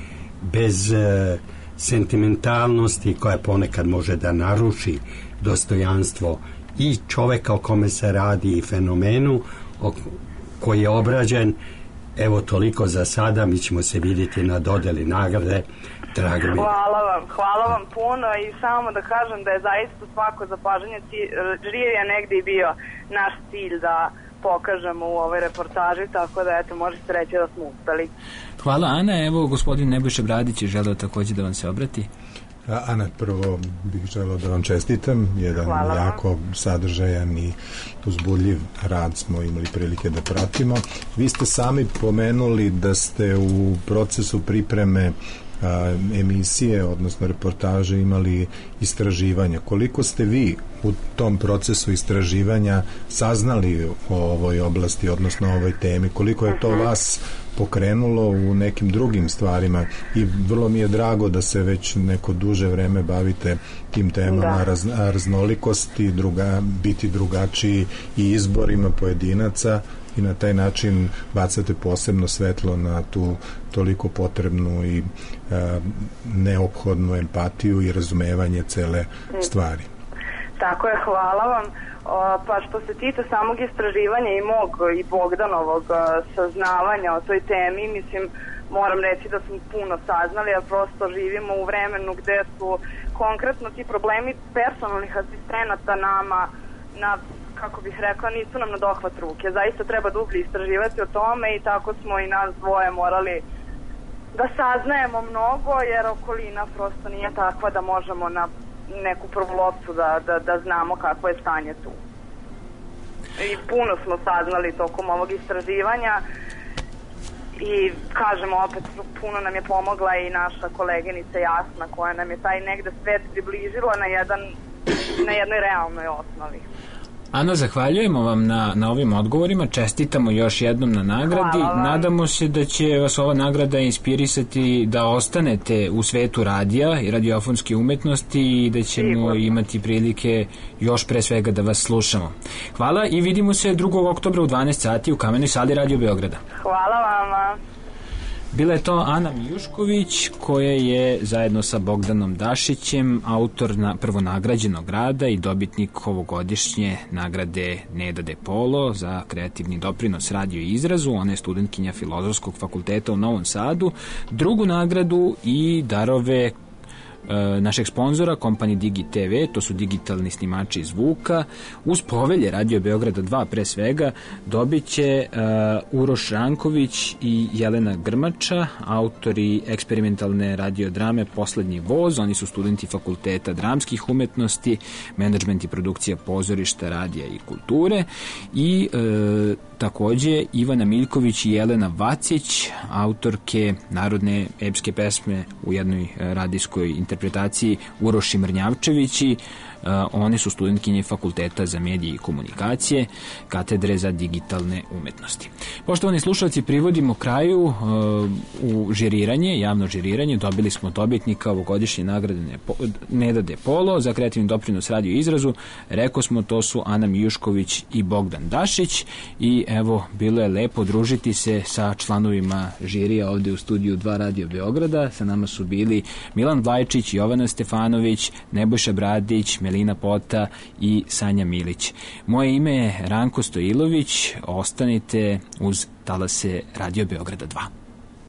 bez e, sentimentalnosti koja ponekad može da naruši dostojanstvo i čoveka o kome se radi i fenomenu o, koji je obrađen. Evo toliko za sada, mi ćemo se vidjeti na dodeli nagrade. Drago mi. Hvala vam, hvala vam puno i samo da kažem da je zaista svako zapažanje žirija negdje i bio naš cilj da pokažemo u ovoj reportaži, tako da eto, možete reći da smo uspeli. Hvala, Ana. Evo, gospodin Nebojša Bradić je želeo također da vam se obrati. Ana, prvo bih želeo da vam čestitam. Jedan Hvala. jako sadržajan i uzbudljiv rad smo imali prilike da pratimo. Vi ste sami pomenuli da ste u procesu pripreme a, emisije, odnosno reportaže imali istraživanja. Koliko ste vi u tom procesu istraživanja saznali o ovoj oblasti, odnosno o ovoj temi? Koliko je to vas pokrenulo u nekim drugim stvarima? I vrlo mi je drago da se već neko duže vreme bavite tim temama raz, raznolikosti, druga, biti drugačiji i izborima pojedinaca i na taj način bacate posebno svetlo na tu toliko potrebnu i a, neophodnu empatiju i razumevanje cele stvari. Tako je, hvala vam. O, pa što se tiče samog istraživanja i mog i Bogdanovog saznavanja o toj temi, mislim, moram reći da smo puno saznali, a prosto živimo u vremenu gde su konkretno ti problemi personalnih asistenata nama na, kako bih rekla, nisu nam na dohvat ruke. Zaista treba dublje istraživati o tome i tako smo i nas dvoje morali da saznajemo mnogo, jer okolina prosto nije takva da možemo na neku prvu loptu da, da, da znamo kako je stanje tu. I puno smo saznali tokom ovog istraživanja i kažemo opet, puno nam je pomogla i naša koleginica Jasna koja nam je taj negde svet približila na, jedan, na jednoj realnoj osnovi. Ana, zahvaljujemo vam na, na ovim odgovorima, čestitamo još jednom na nagradi, nadamo se da će vas ova nagrada inspirisati da ostanete u svetu radija i radiofonske umetnosti i da ćemo Sigurno. imati prilike još pre svega da vas slušamo. Hvala i vidimo se drugog oktobra u dvanaest sati u Kamenoj sali Radio Beograda. Hvala vama. Bila je to Ana Mijušković koja je zajedno sa Bogdanom Dašićem autor na prvonagrađenog rada i dobitnik ovogodišnje nagrade Neda de Polo za kreativni doprinos radiju i izrazu. Ona je studentkinja Filozofskog fakulteta u Novom Sadu. Drugu nagradu i darove našeg sponzora, kompanije Digi te ve, to su digitalni snimači zvuka, uz povelje Radio Beograda dva pre svega, dobit će uh, Uroš Ranković i Jelena Grmača, autori eksperimentalne radiodrame Poslednji voz. Oni su studenti Fakulteta dramskih umetnosti, menadžment i produkcija pozorišta, radija i kulture. I uh, takođe Ivana Miljković i Jelena Vacić, autorke narodne epske pesme u jednoj radijskoj interpretaciji Uroš i Mrnjavčevići. One su studentkinje Fakulteta za medije i komunikacije, katedre za digitalne umetnosti. Poštovani slušalci, privodimo kraju u žiriranje, javno žiriranje. Dobili smo od dobitnika ovogodišnje nagrade Neda De Polo za kreativni doprinos radio izrazu. Rekao smo, to su Ana Mijušković i Bogdan Dašić i evo, bilo je lepo družiti se sa članovima žirija ovde u studiju dva Radio Beograda. Sa nama su bili Milan Vlajčić, Jovana Stefanović, Nebojša Bradić, Melina Pota i Sanja Milić. Moje ime je Ranko Stojilović. Ostanite uz talase Radio Beograda dva.